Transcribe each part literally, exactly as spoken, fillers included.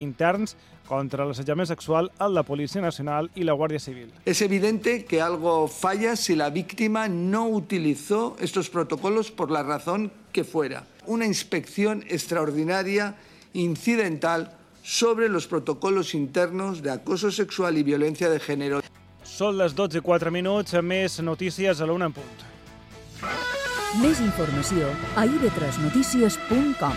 interns contra l'assetjament sexual a la Policía Nacional y la Guardia Civil. Es evidente que algo falla si la víctima no utilizó estos protocolos por la razón que fuera. Una inspección extraordinaria, incidental, sobre los protocolos internos de acoso sexual y violencia de género. Són les dotze i quatre minuts, més notícies a l'una en punt. Més informació a i ve tres notícies punt com.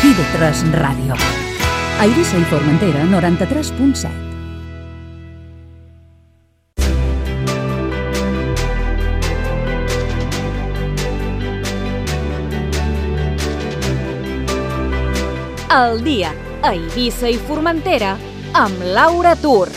i ve tres Ràdio. A Eivissa i Formentera, noranta-tres punt set. El dia a Eivissa i Formentera amb Laura Tur.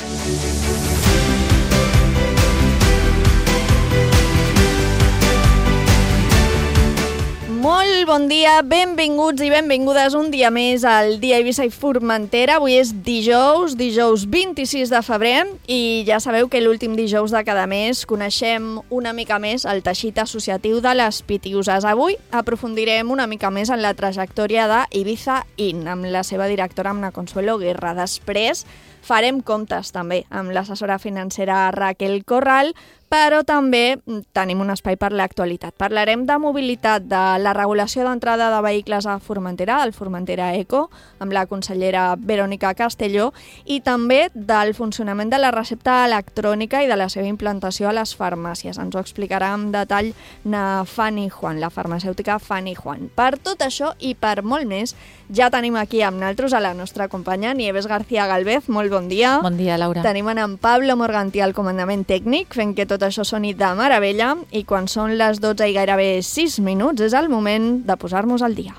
Molt bon dia, benvinguts i benvingudes un dia més al dia Eivissa i Formentera. Avui és dijous, dijous vint-i-sis de febrer i ja sabeu que l'últim dijous de cada mes coneixem una mica més el teixit associatiu de les Pitiuses. Avui aprofundirem una mica més en la trajectòria d'Ibiza In amb la seva directora, amb la Consuelo Guerra. Després farem comptes també amb l'assessora financera Raquel Corral, però també tenim un espai per l'actualitat. Parlarem de mobilitat, de la regulació d'entrada de vehicles a Formentera, del Formentera Eco, amb la consellera Verònica Castelló, i també del funcionament de la recepta electrònica i de la seva implantació a les farmàcies. Ens ho explicarà en detall na Fanny Juan, la farmacèutica Fanny Juan. Per tot això i per molt més, ja tenim aquí amb nosaltres a la nostra companya Nieves García Galvez. Molt bon dia. Bon dia, Laura. Tenim en Pablo Morgantí al comandament tècnic, fent que tot això soni de meravella, i quan són les dotze i gairebé sis minuts és el moment de posar-nos al dia.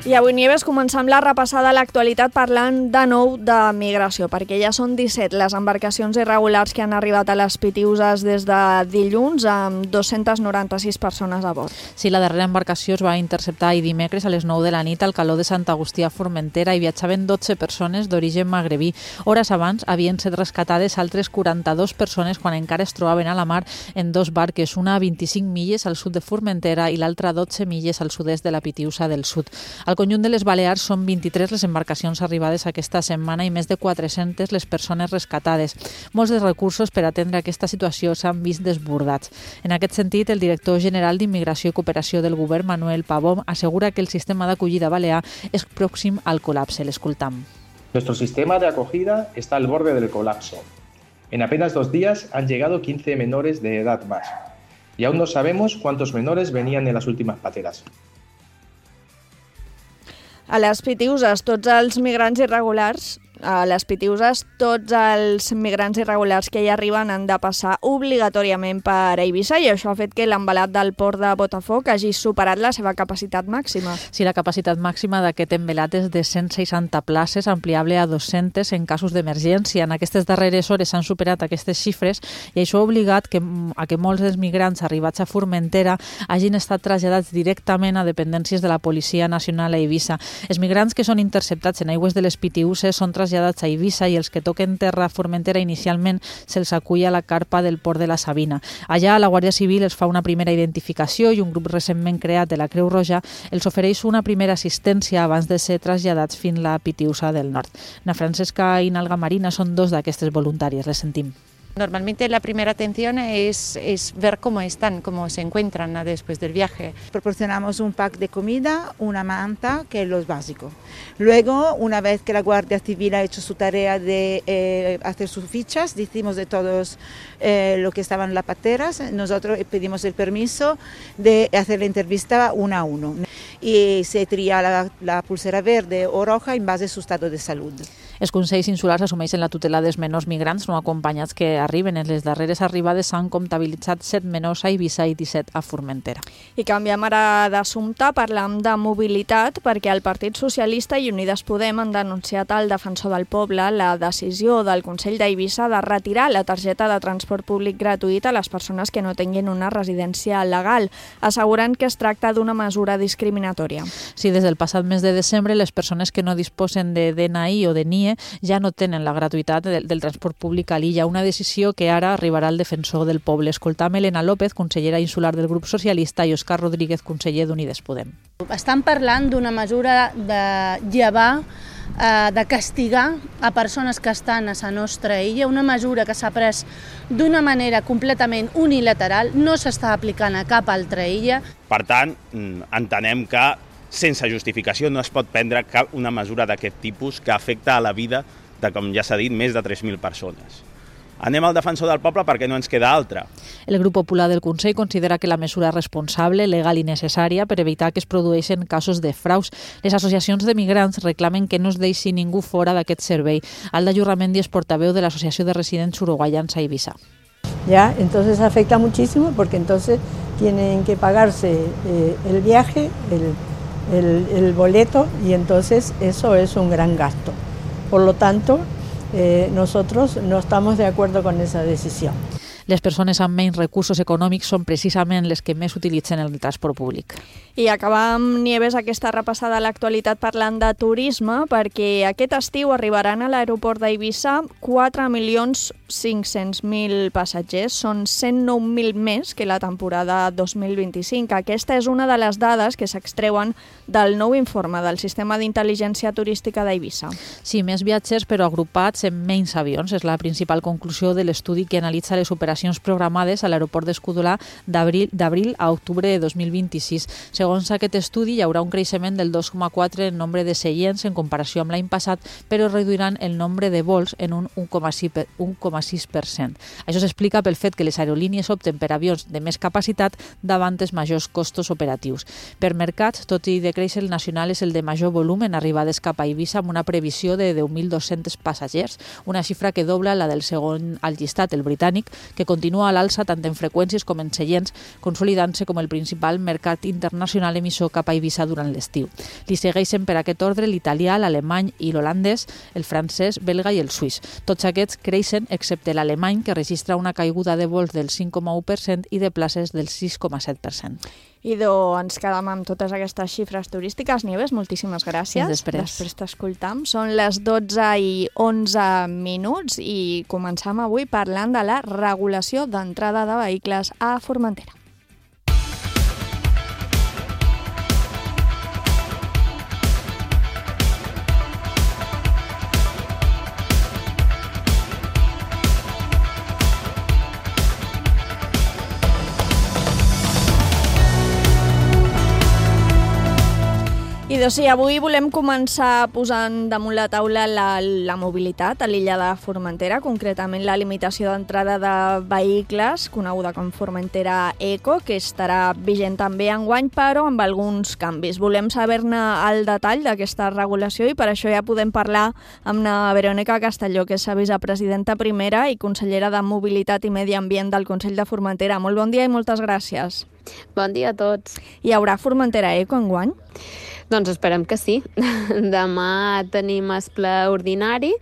I avui, Nieves, començam la repassada a l'actualitat parlant de nou de migració, perquè ja són disset les embarcacions irregulars que han arribat a les Pitiuses des de dilluns, amb dos-centes noranta-sis persones a bord. Sí, la darrera embarcació es va interceptar ahir dimecres a les nou de la nit al caló de Sant Agustí a Formentera i viatjaven dotze persones d'origen magrebí. Hores abans havien set rescatades altres quaranta-dues persones quan encara es trobaven a la mar en dos barques, una a vint-i-cinc milles al sud de Formentera i l'altra a dotze milles al sud-est de la Pitiusa del Sud. Al conjunt de les Balears són vint-i-tres les embarcacions arribades aquesta setmana i més de quatre-centes les persones rescatades. Molts dels recursos per atendre aquesta situació s'han vist desbordats. En aquest sentit, el director general d'Immigració i Cooperació del Govern, Manuel Pavón, assegura que el sistema d'acollida balear és pròxim al col·lapse. L'escoltam. Nuestro sistema de acogida está al borde del colapso. En apenas dos días han llegado quince menores de edad más. Y aún no sabemos cuántos menores venían en las últimas pateras. A les Pitiuses, tots els migrants irregulars, a les Pitiuses, tots els migrants irregulars que hi arriben han de passar obligatòriament per Eivissa i això ha fet que l'embalat del port de Botafoc hagi superat la seva capacitat màxima. Sí, la capacitat màxima d'aquest embalat és de cent seixanta places, ampliable a dos-centes en casos d'emergència. En aquestes darreres hores s'han superat aquestes xifres i això ha obligat que, a que molts dels migrants arribats a Formentera hagin estat traslladats directament a dependències de la Policia Nacional a Eivissa. Els migrants que són interceptats en aigües de les Pitiuses són traslladats traslladats a Eivissa i els que toquen terra a Formentera inicialment se'ls acull a la carpa del port de la Sabina. Allà la Guàrdia Civil els fa una primera identificació i un grup recentment creat de la Creu Roja els ofereix una primera assistència abans de ser traslladats fins a la Pitiusa del Nord. Na Francesca i Nalga Marina són dos d'aquestes voluntàries, les sentim. Normalmente la primera atención es, es ver cómo están, cómo se encuentran después del viaje. Proporcionamos un pack de comida, una manta, que es lo básico. Luego, una vez que la Guardia Civil ha hecho su tarea de eh, hacer sus fichas, decimos de todos eh, lo que estaban en las pateras, nosotros pedimos el permiso de hacer la entrevista uno a uno. Y se tria la, la pulsera verde o roja en base a su estado de salud. Els consells insulars assumeixen la tutela dels menors migrants no acompanyats que arriben. En les darreres arribades s'han comptabilitzat set menors a Eivissa i disset a Formentera. I canviem ara d'assumpte, parlam de mobilitat, perquè el Partit Socialista i Unides Podem han denunciat al Defensor del Poble la decisió del Consell d'Eivissa de retirar la targeta de transport públic gratuït a les persones que no tinguin una residència legal, assegurant que es tracta d'una mesura discriminativa discriminatòria. Sí, des del passat mes de desembre, les persones que no disposen de D N I o de N I E ja no tenen la gratuïtat del, del transport públic a l'illa, una decisió que ara arribarà al defensor del poble. Escoltam Elena López, consellera insular del grup socialista, i Òscar Rodríguez, conseller d'Unides Podem. Estan parlant d'una mesura de llevar, eh, de castigar a persones que estan a la nostra illa, una mesura que s'ha pres d'una manera completament unilateral, no s'està aplicant a cap altra illa. Per tant, entenem que sense justificació no es pot prendre cap una mesura d'aquest tipus que afecta a la vida de, com ja s'ha dit, més de tres mil persones. Anem al defensor del poble perquè no ens queda altra. El grup popular del Consell considera que la mesura és responsable, legal i necessària per evitar que es produeixin casos de fraus. Les associacions de migrants reclamen que no es deixi ningú fora d'aquest servei. Alda Jurramendi és portaveu de l'Associació de Residents Uruguayans a Ibiza. Ya, entonces afecta muchísimo porque entonces tienen que pagarse eh, el viaje, el, el, el boleto, y entonces eso es un gran gasto. Por lo tanto, Eh, nosotros no estamos de acuerdo con esa decisión. Les persones amb menys recursos econòmics són precisament les que més utilitzen el transport públic. I acabam, Nieves, aquesta repassada a l'actualitat parlant de turisme, perquè aquest estiu arribaran a l'aeroport d'Eivissa quatre milions cinc-cents mil passatgers. Són cent nou mil més que la temporada dos mil vint-i-cinc. Aquesta és una de les dades que s'extreuen del nou informe del Sistema d'Intel·ligència Turística d'Eivissa. Sí, més viatgers però agrupats en menys avions. És la principal conclusió de l'estudi que analitza les operacions programades a l'aeroport d'Escudolà d'abril a octubre de dos mil vint-i-sis. Segons aquest estudi, hi haurà un creixement del dos coma quatre en nombre de seients en comparació amb l'any passat, però reduiran el nombre de vols en un un coma sis per cent. Això s'explica pel fet que les aerolínies opten per avions de més capacitat davant els majors costos operatius. Per mercats, tot i decréixer, el nacional és el de major volum en arribades cap a Eivissa, amb una previsió de deu mil dos-cents passatgers, una xifra que dobla la del segon al llistat, el britànic, que continua a l'alça tant en freqüències com en seients, consolidant-se com el principal mercat internacional emissor cap a Eivissa durant l'estiu. Li segueixen per aquest ordre l'italià, l'alemany i l'holandès, el francès, belga i el suís. Tots aquests creixen, excepte l'alemany, que registra una caiguda de vols del cinc coma u per cent i de places del sis coma set per cent. Idò, ens quedam amb totes aquestes xifres turístiques. Nieves, moltíssimes gràcies. Després. Després t'escoltam. Són les dotze i onze minuts i començam avui parlant de la regulació d'entrada de vehicles a Formentera. I doncs sí, avui volem començar posant damunt la taula la, la mobilitat a l'illa de Formentera, concretament la limitació d'entrada de vehicles, coneguda com Formentera Eco, que estarà vigent també enguany, però amb alguns canvis. Volem saber-ne el detall d'aquesta regulació i per això ja podem parlar amb la Verònica Castelló, que és la vicepresidenta primera i consellera de Mobilitat i Medi Ambient del Consell de Formentera. Molt bon dia i moltes gràcies. Bon dia a tots. Hi haurà Formentera Eco enguany? Doncs esperem que sí. Demà tenim el ple ordinari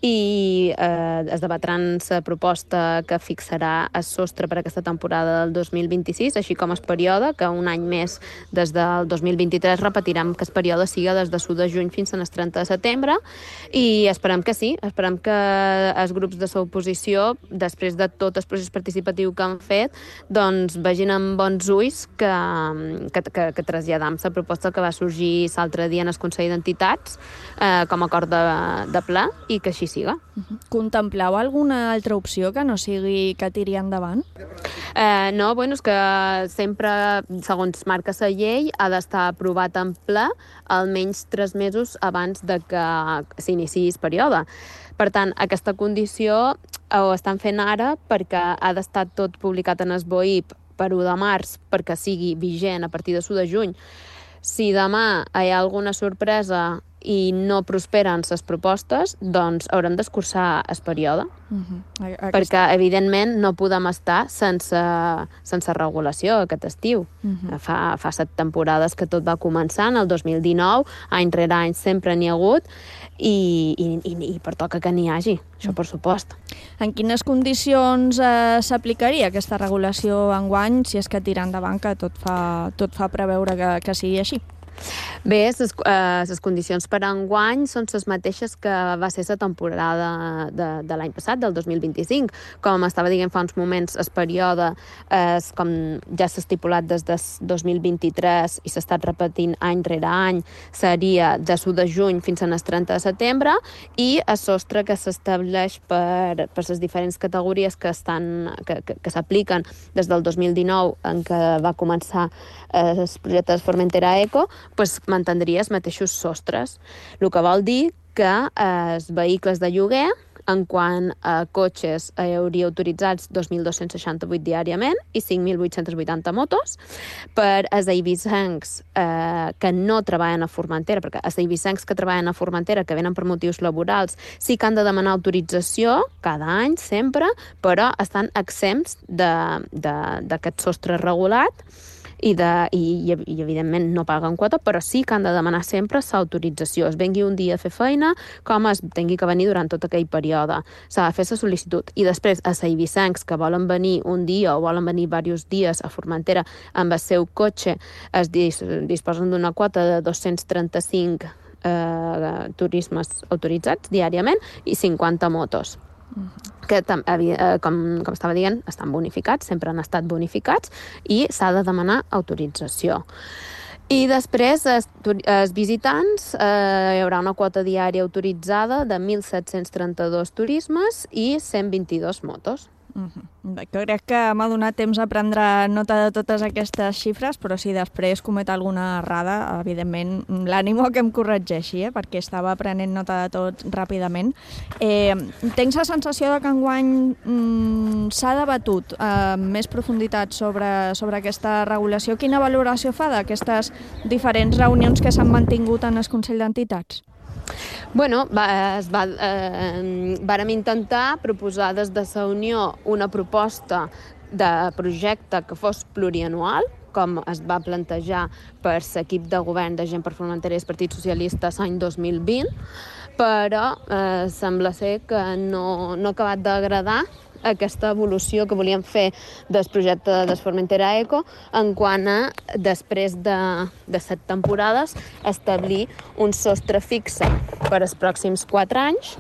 i eh, es debatran la proposta que fixarà el sostre per aquesta temporada del dos mil vint-i-sis, així com el període, que un any més des del dos mil vint-i-tres repetirem que el període siga des de l'u de juny fins al trenta de setembre, i esperem que sí, esperem que els grups de l'oposició, després de tot el procés participatiu que han fet, doncs vegin amb bons ulls que, que, que, que traslladam la proposta que va sorgir l'altre dia en el Consell d'Entitats eh, com a acord de, de ple, i que així siga. Contempleu alguna altra opció que no sigui que tiri endavant? Eh, no, bueno, és que sempre, segons marca la llei, ha d'estar aprovat en ple almenys tres mesos abans de que s'iniciï el període. Per tant, aquesta condició ho estan fent ara perquè ha d'estar tot publicat en el B O I P per u de març perquè sigui vigent a partir de l'u de juny. Si demà hi ha alguna sorpresa i no prosperen les propostes, doncs haurem d'escurçar el període. Uh-huh. Aquesta... Perquè, evidentment, no podem estar sense, sense regulació aquest estiu. Uh-huh. Fa, fa set temporades que tot va començant, el dos mil dinou, any rere any sempre n'hi ha hagut, i, i, i, i pertoca que n'hi hagi, això per supost. En quines condicions eh, s'aplicaria aquesta regulació enguany, si és que tira endavant, que tot fa, tot fa preveure que, que sigui així? Bé, les eh, condicions per a enguany són les mateixes que va ser la temporada de, de l'any passat, del dos mil vint-i-cinc. Com estava dient fa uns moments, el període és com ja s'ha estipulat des del dos mil vint-i-tres i s'ha estat repetint any rere any, seria de l'u de juny fins al trenta de setembre, i el sostre que s'estableix per, per les diferents categories que estan que, que, que s'apliquen des del dos mil dinou, en què va començar eh, el projecte de Formentera Eco, pues, mantindria els mateixos sostres. El que vol dir que eh, els vehicles de lloguer, en quant a cotxes, hi hauria autoritzats dos mil dos-cents seixanta-vuit diàriament i cinc mil vuit-cents vuitanta motos. Per els eivissencs eh, que no treballen a Formentera, perquè els eivissencs que treballen a Formentera, que venen per motius laborals, sí que han de demanar autorització cada any, sempre, però estan exempts d'aquest sostre regulat, I, de, i, i evidentment no paguen quota, però sí que han de demanar sempre l'autorització. Es vengui un dia a fer feina, com es tingui que venir durant tot aquell període. S'ha de fer la sol·licitud. I després, a eivissencs que volen venir un dia o volen venir diversos dies a Formentera amb el seu cotxe, es dis, disposen d'una quota de dos-cents trenta-cinc eh, turismes autoritzats diàriament i cinquanta motos. Que, com, com estava dient, estan bonificats, sempre han estat bonificats, i s'ha de demanar autorització. I després, els, els visitants, eh, hi haurà una quota diària autoritzada de mil set-cents trenta-dos turismes i cent vint-i-dos motos. Uh-huh. Jo crec que m'ha donat temps a prendre nota de totes aquestes xifres, però si després comet alguna errada, evidentment l'ànimo que em corregeixi, eh? Perquè estava prenent nota de tot ràpidament. Eh, tens la sensació de que enguany mm, s'ha debatut eh, més profunditat sobre, sobre aquesta regulació. Quina valoració fa d'aquestes diferents reunions que s'han mantingut en el Consell d'Entitats? Bueno, va, es va, eh, vàrem intentar proposar des de la Unió una proposta de projecte que fos plurianual, com es va plantejar per l'equip de govern de Gent per Formentera i el Partit Socialista l'any dos mil vint, però eh, sembla ser que no, no ha acabat d'agradar aquesta evolució que volíem fer del projecte de Formentera Eco en quant a, després de, de set temporades, establir un sostre fixe per als pròxims quatre anys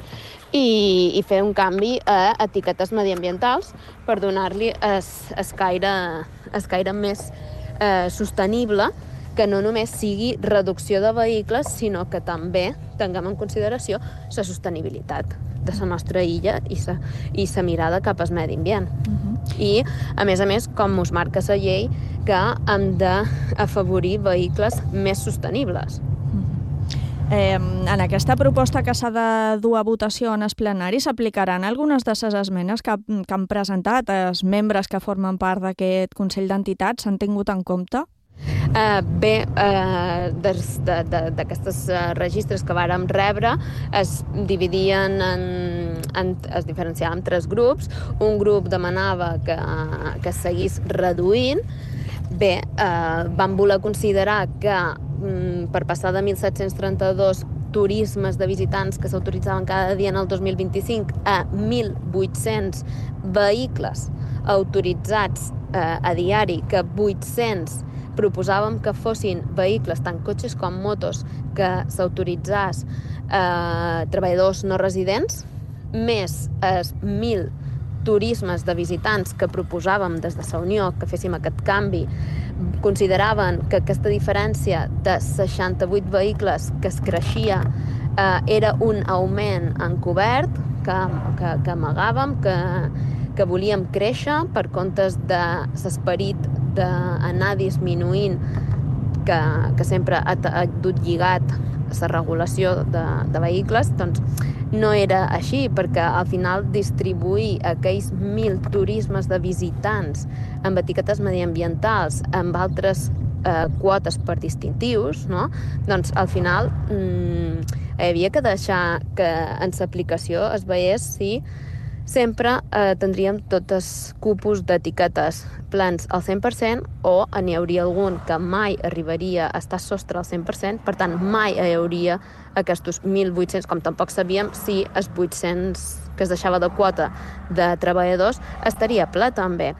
i, i fer un canvi a etiquetes mediambientals per donar-li el caire, el caire més eh, sostenible, que no només sigui reducció de vehicles, sinó que també tinguem en consideració la sostenibilitat de la nostra illa i la i la mirada cap al medi ambient. Uh-huh. I, a més a més, com us marca la llei, que hem d'afavorir vehicles més sostenibles. Eh, en aquesta proposta que s'ha de dur a votació en el plenari s'aplicaran algunes de les esmenes que, que han presentat els membres que formen part d'aquest Consell d'Entitats? S'han tingut en compte? Uh, bé, uh, d'aquestes uh, registres que vàrem rebre es dividien en, en, es diferenciaven en tres grups. Un grup demanava que, que seguís reduint. Bé, uh, vam voler considerar que um, per passar de mil set-cents trenta-dos turismes de visitants que s'autoritzaven cada dia en el dos mil vint-i-cinc a mil vuit-cents vehicles autoritzats uh, a diari, que vuit-cents proposàvem que fossin vehicles, tant cotxes com motos, que s'autoritzés eh, treballadors no residents, més els mil turismes de visitants que proposàvem des de la Unió que féssim aquest canvi. Consideraven que aquesta diferència de seixanta-vuit vehicles que es creixia eh, era un augment encobert que, que, que amagàvem, que, que volíem créixer per comptes de l'esperit d'anar disminuint que, que sempre ha, ha dut lligat la regulació de, de vehicles, doncs no era així, perquè al final distribuir aquells mil turismes de visitants amb etiquetes mediambientals, amb altres eh, quotes per distintius, no? Doncs al final mmm, hi havia que deixar que en l'aplicació es veiés si sempre eh, tindríem tots els cupos d'etiquetes plans al cent per cent o n'hi hauria algun que mai arribaria a estar sostre al cent per cent, per tant mai hi hauria aquests mil vuit-cents, com tampoc sabíem si els vuit-cents que es deixava de quota de treballadors estaria ple també.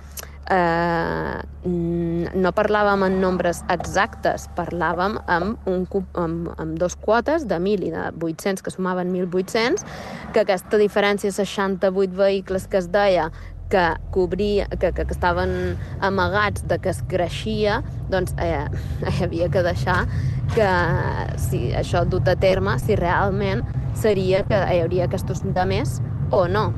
eh, no parlàvem en nombres exactes, parlàvem amb, un, amb, amb dos quotes de mil i de vuit-cents, que sumaven mil vuit-cents, que aquesta diferència, seixanta-vuit vehicles que es deia que, cobria, que, que, que estaven amagats de que es creixia, doncs eh, hi havia que deixar que si això dut a terme, si realment seria que hi hauria aquests de més o no.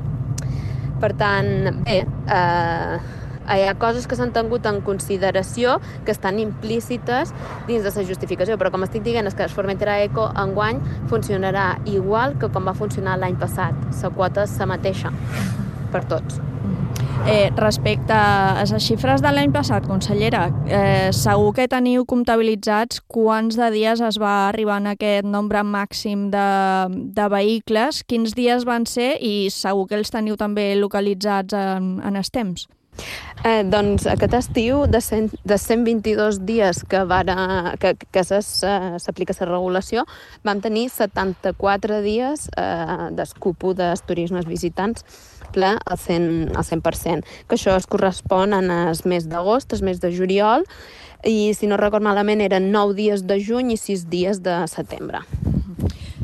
Per tant, bé, eh, hi ha coses que s'han tingut en consideració que estan implícites dins de la justificació, però com estic dient és que el Formentera Eco enguany funcionarà igual que com va funcionar l'any passat. La quota és la mateixa per tots. Eh, respecte a les xifres de l'any passat, consellera, eh, segur que teniu comptabilitzats quants de dies es va arribar en aquest nombre màxim de, de vehicles, quins dies van ser i segur que els teniu també localitzats en, en els temps. Eh, doncs aquest estiu, de, cent, de cent vint-i-dos dies que, vara, que, que s'aplica la regulació, vam tenir setanta-quatre dies eh, d'escupo dels turismes visitants ple al cent, al cent per cent, que això es correspon en el mes d'agost, el mes de juliol, i si no record malament eren nou dies de juny i sis dies de setembre.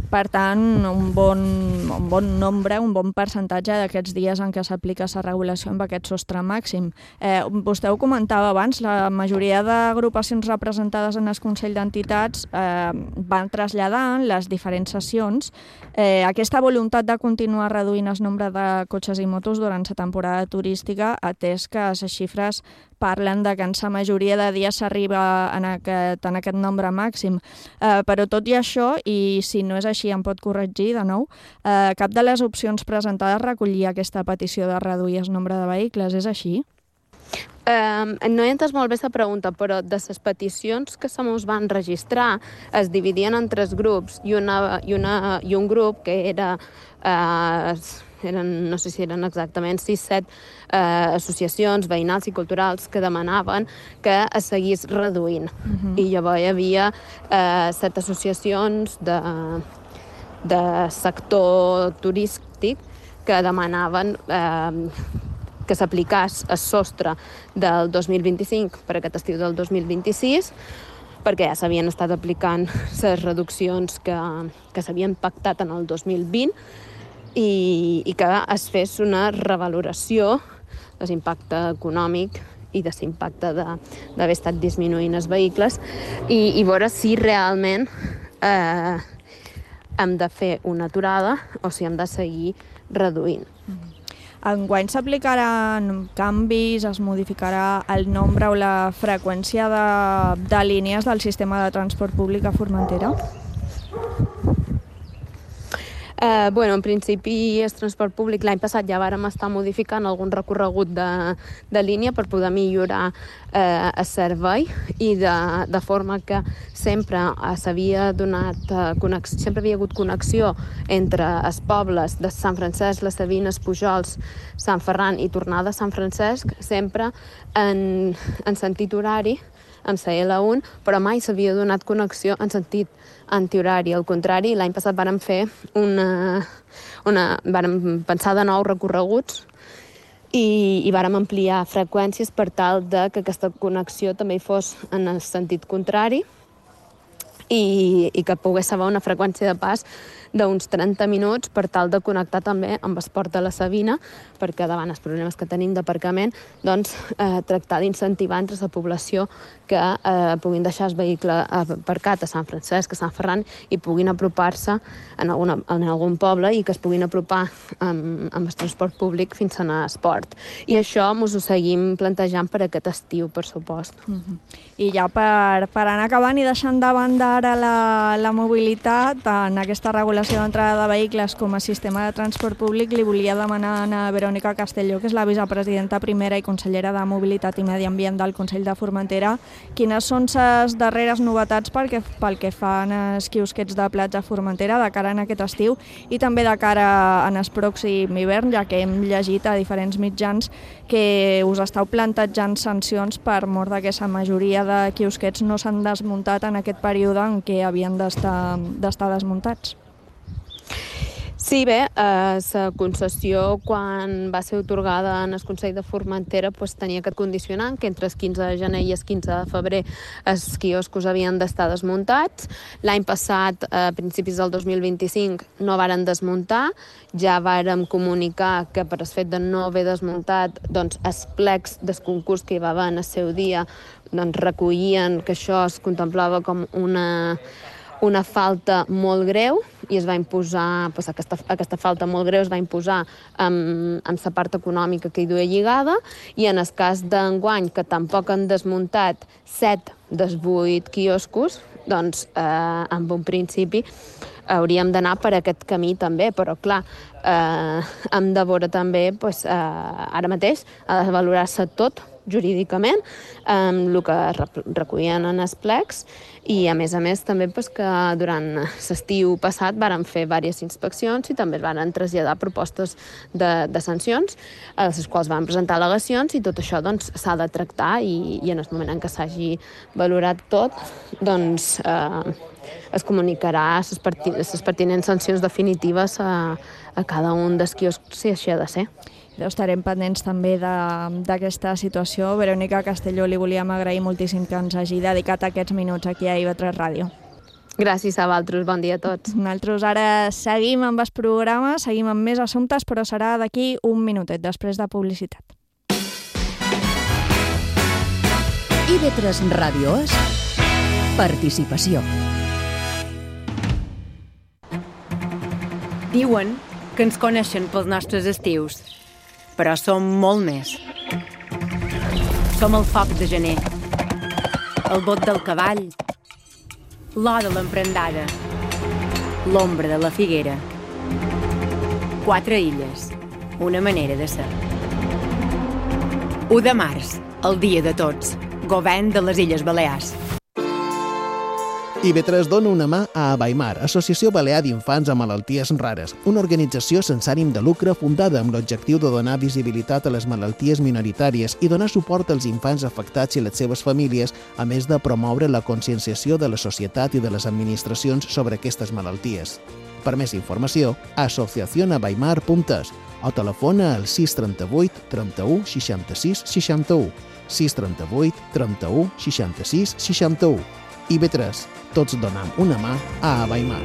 Per tant, un bon, un bon nombre, un bon percentatge d'aquests dies en què s'aplica la regulació amb aquest sostre màxim. Eh, vostè ho comentava abans, la majoria d'agrupacions representades en el Consell d'Entitats eh, van traslladar les diferents sessions eh, aquesta voluntat de continuar reduint el nombre de cotxes i motos durant la temporada turística, atès que les xifres parlen de que en la majoria de dies s'arriba en, aquest, en aquest nombre màxim. Eh, però tot i això, i si no és així em pot corregir de nou, eh, cap de les opcions presentades recollia aquesta petició de reduir el nombre de vehicles, és així? Um, no he entès molt bé la pregunta, però de les peticions que se mos van registrar es dividien en tres grups i, una, i, una, i un grup que era... Uh, eren, no sé si eren exactament sis set eh, associacions veïnals i culturals que demanaven que es seguís reduint. Uh-huh. I llavors hi havia eh, set associacions de, de sector turístic que demanaven eh, que s'aplicàs el sostre del dos mil vint-i-cinc per aquest estiu del dos mil vint-i-sis, perquè ja s'havien estat aplicant les reduccions que, que s'havien pactat en el dos mil vint, I, i que es fes una revaloració de l'impacte econòmic i de l'impacte d'haver estat disminuint els vehicles i, i veure si realment eh, hem de fer una aturada o si hem de seguir reduint. Enguany s'aplicaran canvis, es modificarà el nombre o la freqüència de, de línies del sistema de transport públic a Formentera? Eh, bueno, en principi, el transport públic l'any passat ja vàrem estar modificant algun recorregut de, de línia per poder millorar eh, el servei i de, de forma que sempre eh, s'havia donat eh, connexió, sempre havia hagut connexió entre els pobles de Sant Francesc, les Sabines, Pujols, Sant Ferran i tornada a Sant Francesc, sempre en, en sentit horari, amb la L un, però mai s'havia donat connexió en sentit antihorari. Al contrari, l'any passat vàrem fer una, una, vàrem pensar de nous recorreguts i, i vàrem ampliar freqüències per tal de que aquesta connexió també hi fos en el sentit contrari i, i que pogués haver una freqüència de pas d'uns trenta minuts per tal de connectar també amb el port de la Sabina, perquè davant els problemes que tenim d'aparcament, doncs eh, tractar d'incentivar entre la població que eh, puguin deixar el vehicle aparcat a Sant Francesc, a Sant Ferran i puguin apropar-se en, alguna, en algun poble i que es puguin apropar amb, amb el transport públic fins a l'esport. I això ens ho seguim plantejant per aquest estiu, per supost. Uh-huh. I ja per, per anar acabant i deixant de banda ara la, la mobilitat, en aquesta regulació d'entrada de vehicles com a sistema de transport públic, li volia demanar a Verònica Castelló, que és la vicepresidenta primera i consellera de Mobilitat i Medi Ambient del Consell de Formentera, quines són les darreres novetats pel que, pel que fan els quiosquets de platja a Formentera de cara a aquest estiu i també de cara en el pròxim hivern, ja que hem llegit a diferents mitjans que us esteu plantejant sancions per mort de que la majoria de quiosquets no s'han desmuntat en aquest període en què havien d'estar d'estar desmuntats. Sí, bé, eh, la concessió, quan va ser otorgada en el Consell de Formentera, pues, tenia aquest condicionant que entre el quinze de gener i el quinze de febrer els quioscos havien d'estar desmuntats. L'any passat, a principis del dos mil vint-i-cinc, no varen desmuntar. Ja vàrem comunicar que per el fet de no haver desmuntat, doncs, els plecs del concurs que hi va haver en el seu dia doncs, recollien que això es contemplava com una... una falta molt greu i es va imposar, doncs aquesta, aquesta falta molt greu es va imposar amb, amb la part econòmica que hi duia lligada, i en el cas d'enguany, que tampoc han desmuntat set dels vuit quioscos, doncs eh, en un principi hauríem d'anar per aquest camí també, però clar, eh, hem de veure també, doncs, eh, ara mateix ha de valorar-se tot jurídicament, amb el que recollien en els plecs, i a més a més també pues, que durant l'estiu passat varen fer diverses inspeccions i també es van traslladar propostes de, de sancions, a les quals van presentar al·legacions, i tot això doncs, s'ha de tractar, i, i en el moment en què s'hagi valorat tot, doncs eh, es comunicarà les perti pertinents sancions definitives a, a cada un dels quioscs, si així ha de ser. Estarem pendents també d'aquesta situació. Verònica Castelló, li volíem agrair moltíssim que ens hagi dedicat aquests minuts aquí a I V tres Ràdio. Gràcies a vosaltres, bon dia a tots. Nosaltres ara seguim amb els programes, seguim amb més assumptes, però serà d'aquí un minutet, després de publicitat. I V tres Ràdio és participació. Diuen que ens coneixen pels nostres estius, però som molt més. Som el foc de gener, el bot del cavall, l'or de l'emprendada, l'ombra de la figuera. Quatre illes, una manera de ser. u de març, el dia de tots, govern de les Illes Balears. I V tres dona una mà a Abaimar, Associació Balear d'Infants amb Malalties Rares, una organització sense ànim de lucre fundada amb l'objectiu de donar visibilitat a les malalties minoritàries i donar suport als infants afectats i les seves famílies, a més de promoure la conscienciació de la societat i de les administracions sobre aquestes malalties. Per més informació, asociación abaimar punt es o telefona al sis trenta-vuit trenta-u seixanta-sis seixanta-u, sis trenta-vuit trenta-u seixanta-sis seixanta-u. I V tres, tots donam una mà a Abaimar.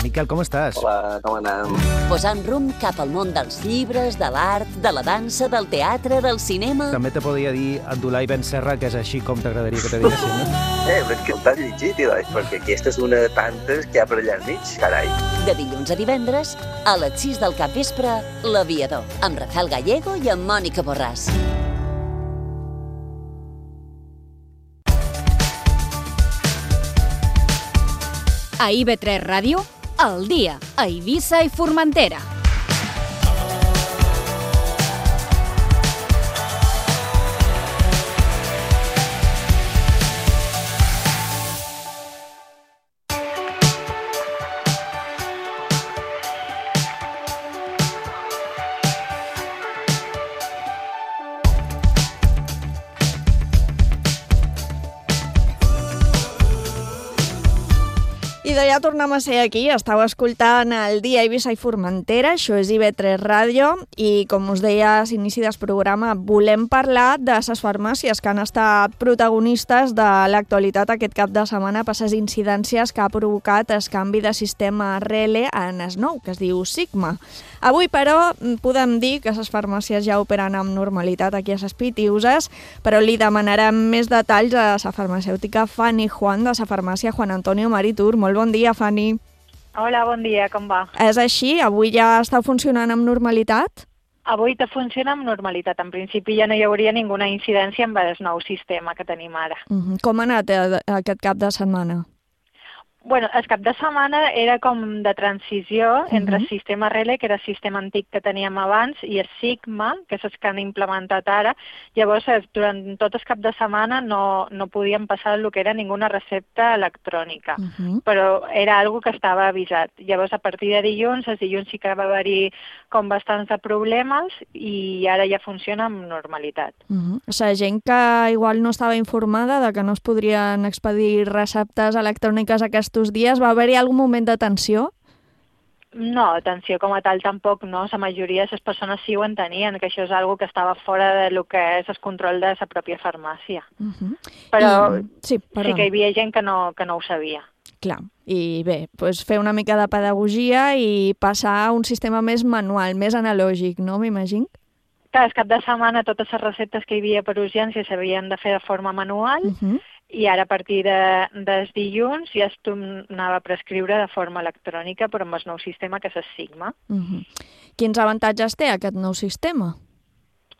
Miquel, com estàs? Hola, com anem? Posant rumb cap al món dels llibres, de l'art, de la dansa, del teatre, del cinema... També te podria dir Abdulai Ben Serra, que és així com t'agradaria que te diguessin, no? Eh, però és que t'has llegit, Ilai, perquè aquesta és una de tantes que hi ha per allà al mig, carai. De dilluns a divendres, a les sis del capvespre, L'Aviador, amb Rafael Gallego i amb Mònica Borràs. A I V tres Ràdio, al dia, a Eivissa i Formentera. I de ja tornem a ser aquí, estàu escoltant el dia Eivissa i Formentera, això és I V tres Ràdio, i com us deia a l'inici del programa, volem parlar de les farmàcies que han estat protagonistes de l'actualitat aquest cap de setmana per les incidències que ha provocat el canvi de sistema R L en el nou, que es diu Sigma. Avui, però, podem dir que les farmàcies ja operen amb normalitat aquí a les Pitiuses, però li demanarem més detalls a la farmacèutica Fanny Juan de la farmàcia Juan Antonio Maritur. Molt bon dia, Fanny. Hola, bon dia, com va? És així? Avui ja estàu funcionant amb normalitat? Avui te funciona amb normalitat. En principi ja no hi hauria ninguna incidència amb el nou sistema que tenim ara. Uh-huh. Com ha anat eh, aquest cap de setmana? Bueno, el cap de setmana era com de transició uh-huh. entre el sistema R L, que era el sistema antic que teníem abans, i el Sigma, que és el que han implementat ara. Llavors, durant tot el cap de setmana no, no podíem passar el que era ninguna recepta electrònica, uh-huh. però era algo que estava avisat. Llavors, a partir de dilluns, els dilluns sí que va haver-hi com bastants de problemes i ara ja funciona amb normalitat. Uh-huh. O sigui, gent que igual no estava informada de que no es podrien expedir receptes electròniques a aquest aquests dies? Va haver-hi algun moment de tensió? No, tensió com a tal tampoc, no. La majoria de les persones sí ho entenien, que això és algo que estava fora de lo que és el control de la pròpia farmàcia. Uh -huh. Però I... sí, sí que hi havia gent que no, que no ho sabia. Clar, i bé, doncs fer una mica de pedagogia i passar a un sistema més manual, més analògic, no, m'imagino? Clar, el cap de setmana totes les receptes que hi havia per urgència s'havien de fer de forma manual, uh -huh. i ara a partir de, dels dilluns ja es tornava a prescriure de forma electrònica, però amb el nou sistema que és el Sigma. Uh -huh. Quins avantatges té aquest nou sistema?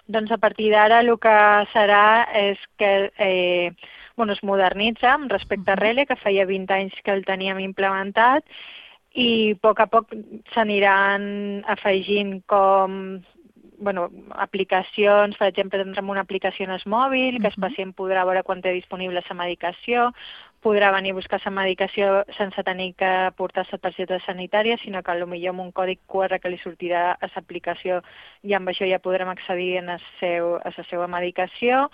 Doncs a partir d'ara el que serà és que eh, bueno, es modernitza amb respecte a Rele, que feia vint anys que el teníem implementat, i a poc a poc s'aniran afegint com bueno, aplicacions, per exemple, tindrem una aplicació en el mòbil, que el pacient podrà veure quan té disponible la medicació, podrà venir a buscar la medicació sense tenir que portar la targeta sanitària, sinó que potser amb un còdic Q R que li sortirà a l'aplicació i amb això ja podrem accedir a, seu, a la seva medicació.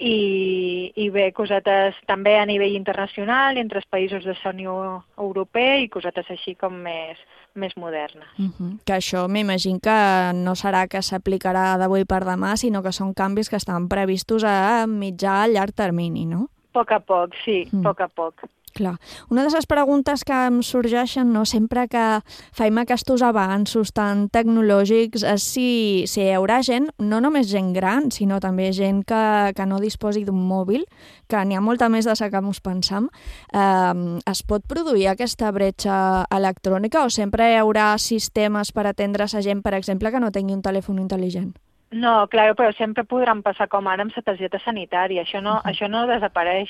I, i bé, cosetes també a nivell internacional, entre els països de la Unió Europea i cosetes així com més, més modernes. Uh -huh. Que això m'imagino que no serà que s'aplicarà d'avui per demà, sinó que són canvis que estan previstos a mitjà a llarg termini, no? A poc a poc, sí, a mm. poc a poc. Clar. Una de les preguntes que em sorgeixen, no, sempre que faim aquests avanços tan tecnològics és si, si hi haurà gent, no només gent gran, sinó també gent que, que no disposi d'un mòbil, que n'hi ha molta més de la que ens pensam. Eh, es pot produir aquesta bretxa electrònica o sempre hi haurà sistemes per atendre a gent, per exemple, que no tingui un telèfon intel·ligent? No, clar, però sempre podran passar com ara amb la targeta sanitària. Això no, uh -huh. això no desapareix,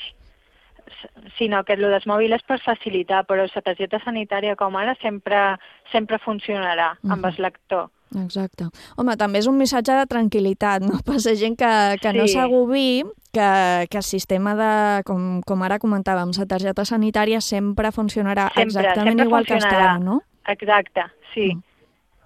sinó que el dels mòbils és per facilitar, però la targeta sanitària com ara sempre, sempre funcionarà uh -huh. amb el lector. Exacte. Home, també és un missatge de tranquil·litat, no? Per la gent que, que sí. no s'agobi, que, que el sistema de, com, com ara comentàvem, la targeta sanitària sempre funcionarà sempre, exactament sempre igual funcionarà. que està ara, no? Exacte, sí. Mm.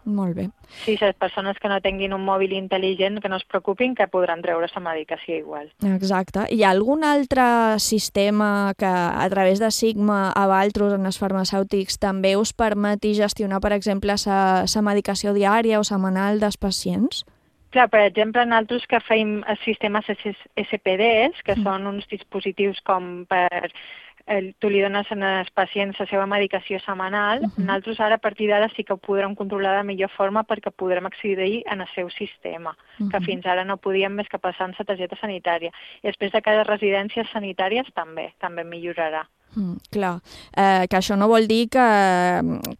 Molt bé. Sí, les persones que no tinguin un mòbil intel·ligent que no es preocupin, que podran treure la medicació igual. Exacte. Hi ha algun altre sistema que a través de Sigma a Valtros en els farmacèutics també us permeti gestionar, per exemple, la medicació diària o setmanal dels pacients? Clar, per exemple, nosaltres que feim els sistemes S P Ds, que mm. són uns dispositius com per... El, tu li dones als pacients la seva medicació setmanal, uh -huh. nosaltres ara a partir d'ara sí que ho podrem controlar de millor forma perquè podrem accedir en el seu sistema, uh -huh. que fins ara no podíem més que passar en la targeta sanitària. I després de cada residències sanitàries també, també millorarà. Mm, clar, eh, que això no vol dir que,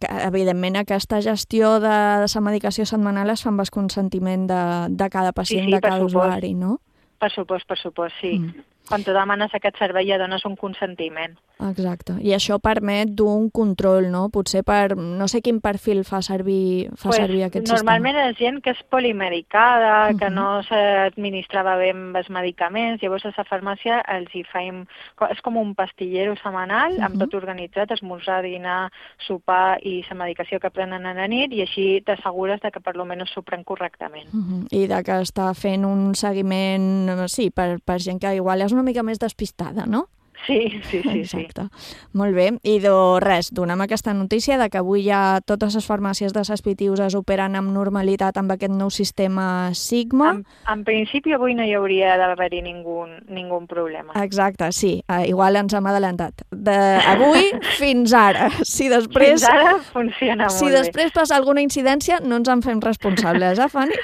que evidentment aquesta gestió de, de la medicació setmanal es fa amb el consentiment de, de cada pacient, sí, sí, de cada usuari, no? Per supost, per supost, sí. Mm. Quan tu demanes aquest servei ja dones un consentiment. Exacte. I això permet d'un control, no? Potser per... No sé quin perfil fa servir, fa pues, servir aquest normalment sistema. és gent que és polimedicada, uh-huh. que no s'administrava bé amb els medicaments, llavors a la farmàcia els hi faim... És com un pastillero setmanal, uh-huh. amb tot organitzat, esmorzar, dinar, sopar i la medicació que prenen a la nit, i així t'assegures de que per lo menys s'ho pren correctament. Uh-huh. I de que està fent un seguiment, sí, per, per gent que igual és una mica més despistada, no? Sí, sí, sí. Exacte. Sí. Molt bé. I de res, donem aquesta notícia de que avui ja totes les farmàcies de les Pitiuses operen amb normalitat amb aquest nou sistema Sigma. En, en principi avui no hi hauria d'haver-hi ningú, ningú problema. Exacte, sí. Uh, igual ens hem adelantat. D'avui fins ara. Si després, fins ara funciona molt si bé. Si després passa alguna incidència, no ens en fem responsables, eh, Fanny?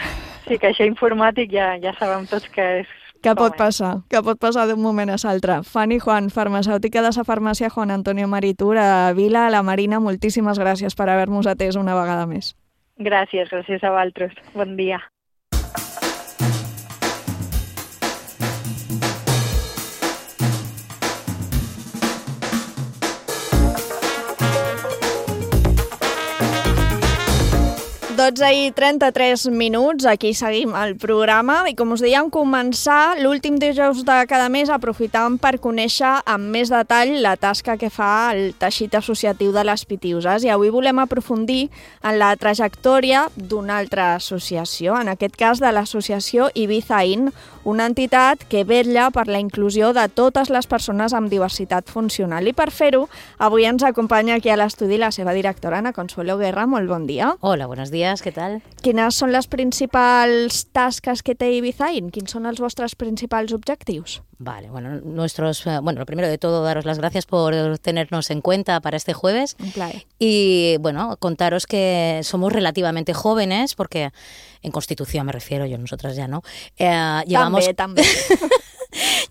Sí, que això informàtic ja, ja sabem tots que és que pot passar, que pot passar d'un moment a l'altre. Fanny Juan, farmacèutica de la farmàcia Juan Antonio Maritur a Vila, a la Marina, moltíssimes gràcies per haver-nos atès una vegada més. Gràcies, gràcies a vosaltres. Bon dia. dotze i trenta-tres minuts, aquí seguim el programa i com us dèiem, començar l'últim dijous de cada mes aprofitant per conèixer amb més detall la tasca que fa el teixit associatiu de les Pitiuses, i avui volem aprofundir en la trajectòria d'una altra associació, en aquest cas de l'associació Ibiza In, una entitat que vetlla per la inclusió de totes les persones amb diversitat funcional. I per fer-ho, avui ens acompanya aquí a l'estudi la seva directora, Ana Consuelo Guerra. Molt bon dia. Hola, buenos días, ¿qué tal? Quines són les principals tasques que té Ibizain? Quins són els vostres principals objectius? Vale, bueno, nuestros, bueno, lo primero de todo, daros las gracias por tenernos en cuenta para este jueves. Un placer. Y, bueno, contaros que somos relativamente jóvenes, porque en Constitución me refiero, yo, nosotras ya no. Eh, llevamos... También, también.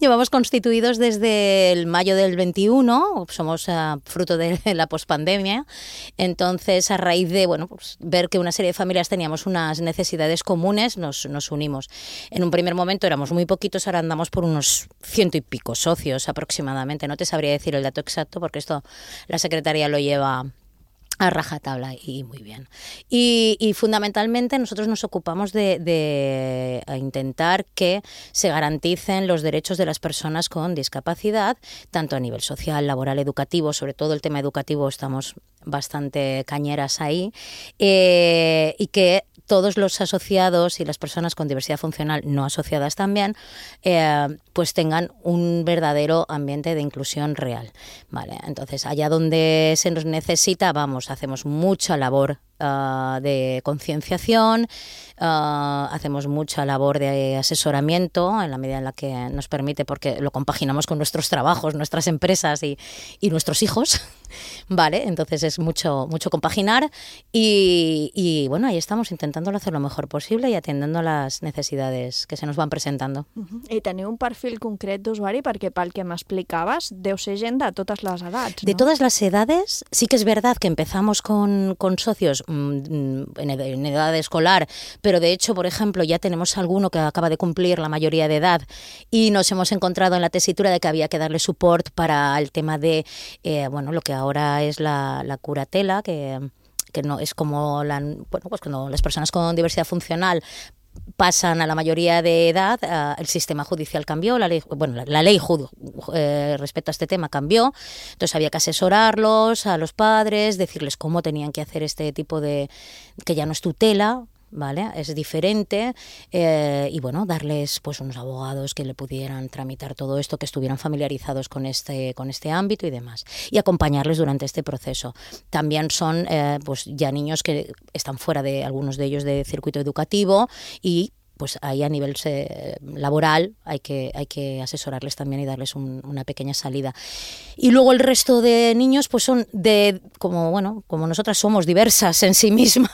Llevamos constituidos desde el mayo del veintiuno, somos uh, fruto de la pospandemia, entonces a raíz de bueno, pues, ver que una serie de familias teníamos unas necesidades comunes, nos, nos unimos. En un primer momento éramos muy poquitos, ahora andamos por unos ciento y pico socios aproximadamente, no te sabría decir el dato exacto porque esto la Secretaría lo lleva a rajatabla y muy bien. Y, y fundamentalmente nosotros nos ocupamos de, de intentar que se garanticen los derechos de las personas con discapacidad, tanto a nivel social, laboral, educativo, sobre todo el tema educativo estamos bastante cañeras ahí, eh, y que todos los asociados y las personas con diversidad funcional no asociadas también, eh, pues tengan un verdadero ambiente de inclusión real. Vale, entonces, allá donde se nos necesita, vamos, hacemos mucha labor uh, de concienciación, uh, hacemos mucha labor de asesoramiento en la medida en la que nos permite, porque lo compaginamos con nuestros trabajos, nuestras empresas y, y nuestros hijos. Vale, entonces es mucho, mucho compaginar y, y bueno, ahí estamos intentándolo hacer lo mejor posible y atendiendo a las necesidades que se nos van presentando. Uh-huh. I teniu un perfil concret d'usuari perquè pel que m'explicaves deu ser gent de totes les edats, ¿no? De todas las edades, sí que es verdad que empezamos con, con socios mmm, en, ed- en edad escolar, pero de hecho, por ejemplo, ya tenemos alguno que acaba de cumplir la mayoría de edad y nos hemos encontrado en la tesitura de que había que darle support para el tema de, eh, bueno, lo que ahora es la, la curatela, que, que no es como la, bueno, pues cuando las personas con diversidad funcional pasan a la mayoría de edad, uh, el sistema judicial cambió, la ley, bueno, la, la ley jud, eh, respecto a este tema cambió, entonces había que asesorarlos a los padres, decirles cómo tenían que hacer este tipo de, que ya no es tutela, ¿vale? Es diferente, eh, y bueno, darles pues unos abogados que le pudieran tramitar todo esto, que estuvieran familiarizados con este, con este ámbito y demás, y acompañarles durante este proceso. También son eh, pues ya niños que están fuera de algunos de ellos de circuito educativo y pues ahí a nivel eh, laboral hay que, hay que asesorarles también y darles un, una pequeña salida. Y luego el resto de niños pues son de, como bueno, como nosotras somos diversas en sí mismas,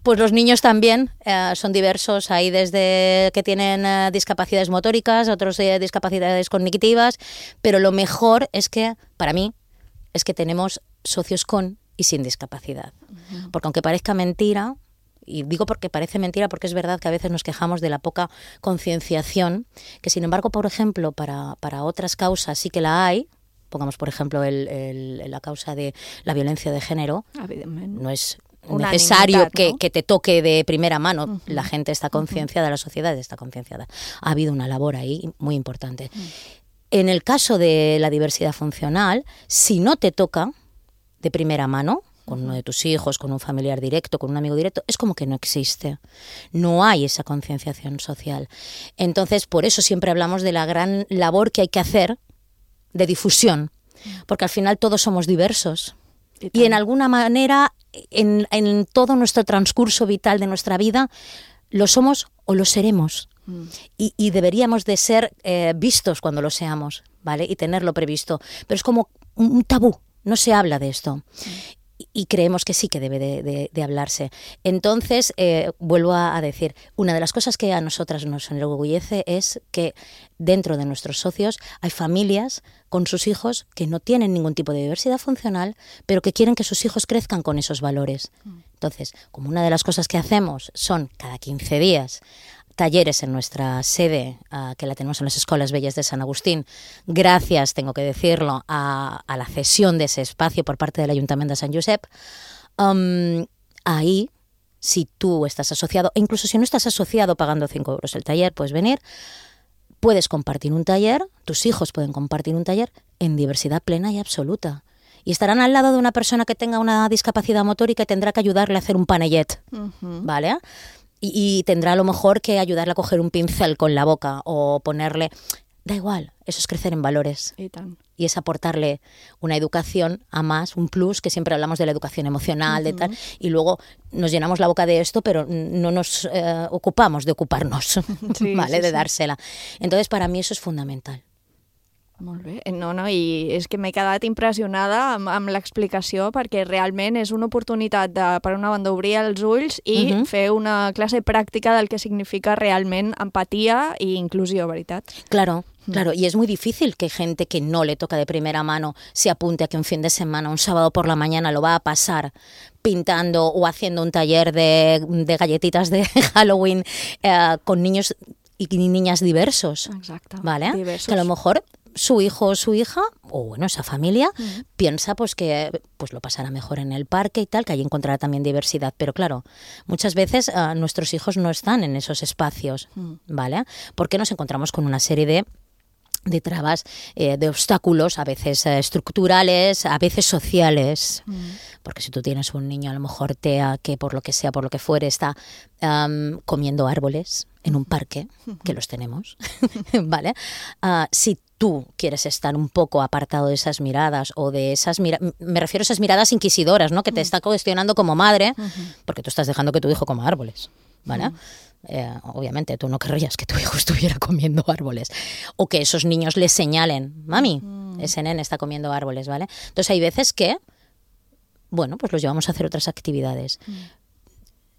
pues los niños también eh, son diversos, hay desde que tienen eh, discapacidades motóricas, otros eh, discapacidades cognitivas, pero lo mejor es que, para mí, es que tenemos socios con y sin discapacidad. Uh-huh. Porque aunque parezca mentira, y digo porque parece mentira, porque es verdad que a veces nos quejamos de la poca concienciación, que sin embargo, por ejemplo, para, para otras causas sí que la hay. Pongamos, por ejemplo, el, el, la causa de la violencia de género. No es Una necesario ¿no? que, que te toque de primera mano. Uh-huh. La gente está concienciada, uh-huh. la sociedad está concienciada. Ha habido una labor ahí muy importante. Uh-huh. En el caso de la diversidad funcional, si no te toca de primera mano, con uno de tus hijos, con un familiar directo, con un amigo directo, es como que no existe. No hay esa concienciación social. Entonces, por eso siempre hablamos de la gran labor que hay que hacer de difusión, porque al final todos somos diversos. Y, y en alguna manera, en, en todo nuestro transcurso vital de nuestra vida, lo somos o lo seremos. Mm. Y, y deberíamos de ser eh, vistos cuando lo seamos, ¿vale? Y tenerlo previsto. Pero es como un tabú, no se habla de esto. Mm. Y creemos que sí que debe de, de, de hablarse. Entonces, eh, vuelvo a, a decir, una de las cosas que a nosotras nos enorgullece es que dentro de nuestros socios hay familias con sus hijos que no tienen ningún tipo de diversidad funcional, pero que quieren que sus hijos crezcan con esos valores. Entonces, como una de las cosas que hacemos son cada quince días talleres en nuestra sede, uh, que la tenemos en las Escolas Bellas de San Agustín, gracias, tengo que decirlo, a, a la cesión de ese espacio por parte del Ayuntamiento de Sant Josep. Um, ahí, si tú estás asociado, e incluso si no estás asociado pagando cinco euros el taller, puedes venir, puedes compartir un taller, tus hijos pueden compartir un taller en diversidad plena y absoluta. Y estarán al lado de una persona que tenga una discapacidad motórica y tendrá que ayudarle a hacer un panellet, uh-huh. ¿vale? y, y tendrá a lo mejor que ayudarle a coger un pincel con la boca o ponerle... Da igual, eso es crecer en valores. I tant. Y es aportarle una educación a más, un plus, que siempre hablamos de la educación emocional, uh-huh. de tal, y luego nos llenamos la boca de esto, pero no nos eh, ocupamos de ocuparnos, sí, ¿vale? Sí, de sí. dársela. Entonces, para mí eso es fundamental. Molt bé. No, no, i és que m'he quedat impressionada amb, amb l'explicació perquè realment és una oportunitat de, per una banda, obrir els ulls i uh-huh. fer una classe pràctica del que significa realment empatia i inclusió, veritat? Claro. Claro, y es muy difícil que gente que no le toca de primera mano se apunte a que un fin de semana, un sábado por la mañana, lo va a pasar pintando o haciendo un taller de, de galletitas de Halloween eh, con niños y niñas diversos. Exacto. ¿Vale? Diversos. Que a lo mejor su hijo o su hija, o bueno, esa familia, uh-huh. piensa pues que pues lo pasará mejor en el parque y tal, que ahí encontrará también diversidad. Pero claro, muchas veces uh, nuestros hijos no están en esos espacios, uh-huh. ¿vale? Porque nos encontramos con una serie de de trabas, eh, de obstáculos, a veces eh, estructurales, a veces sociales. Mm. Porque si tú tienes un niño, a lo mejor TEA, que por lo que sea, por lo que fuere, está um, comiendo árboles en un parque, que los tenemos, ¿vale? Uh, si tú quieres estar un poco apartado de esas miradas o de esas miradas, me refiero a esas miradas inquisidoras, ¿no? Que te está cuestionando como madre, porque tú estás dejando que tu hijo coma árboles, ¿vale? Mm. Eh, obviamente tú no querrías que tu hijo estuviera comiendo árboles o que esos niños le señalen, mami, mm. ese nene está comiendo árboles, ¿vale? Entonces hay veces que, bueno, pues los llevamos a hacer otras actividades. Mm.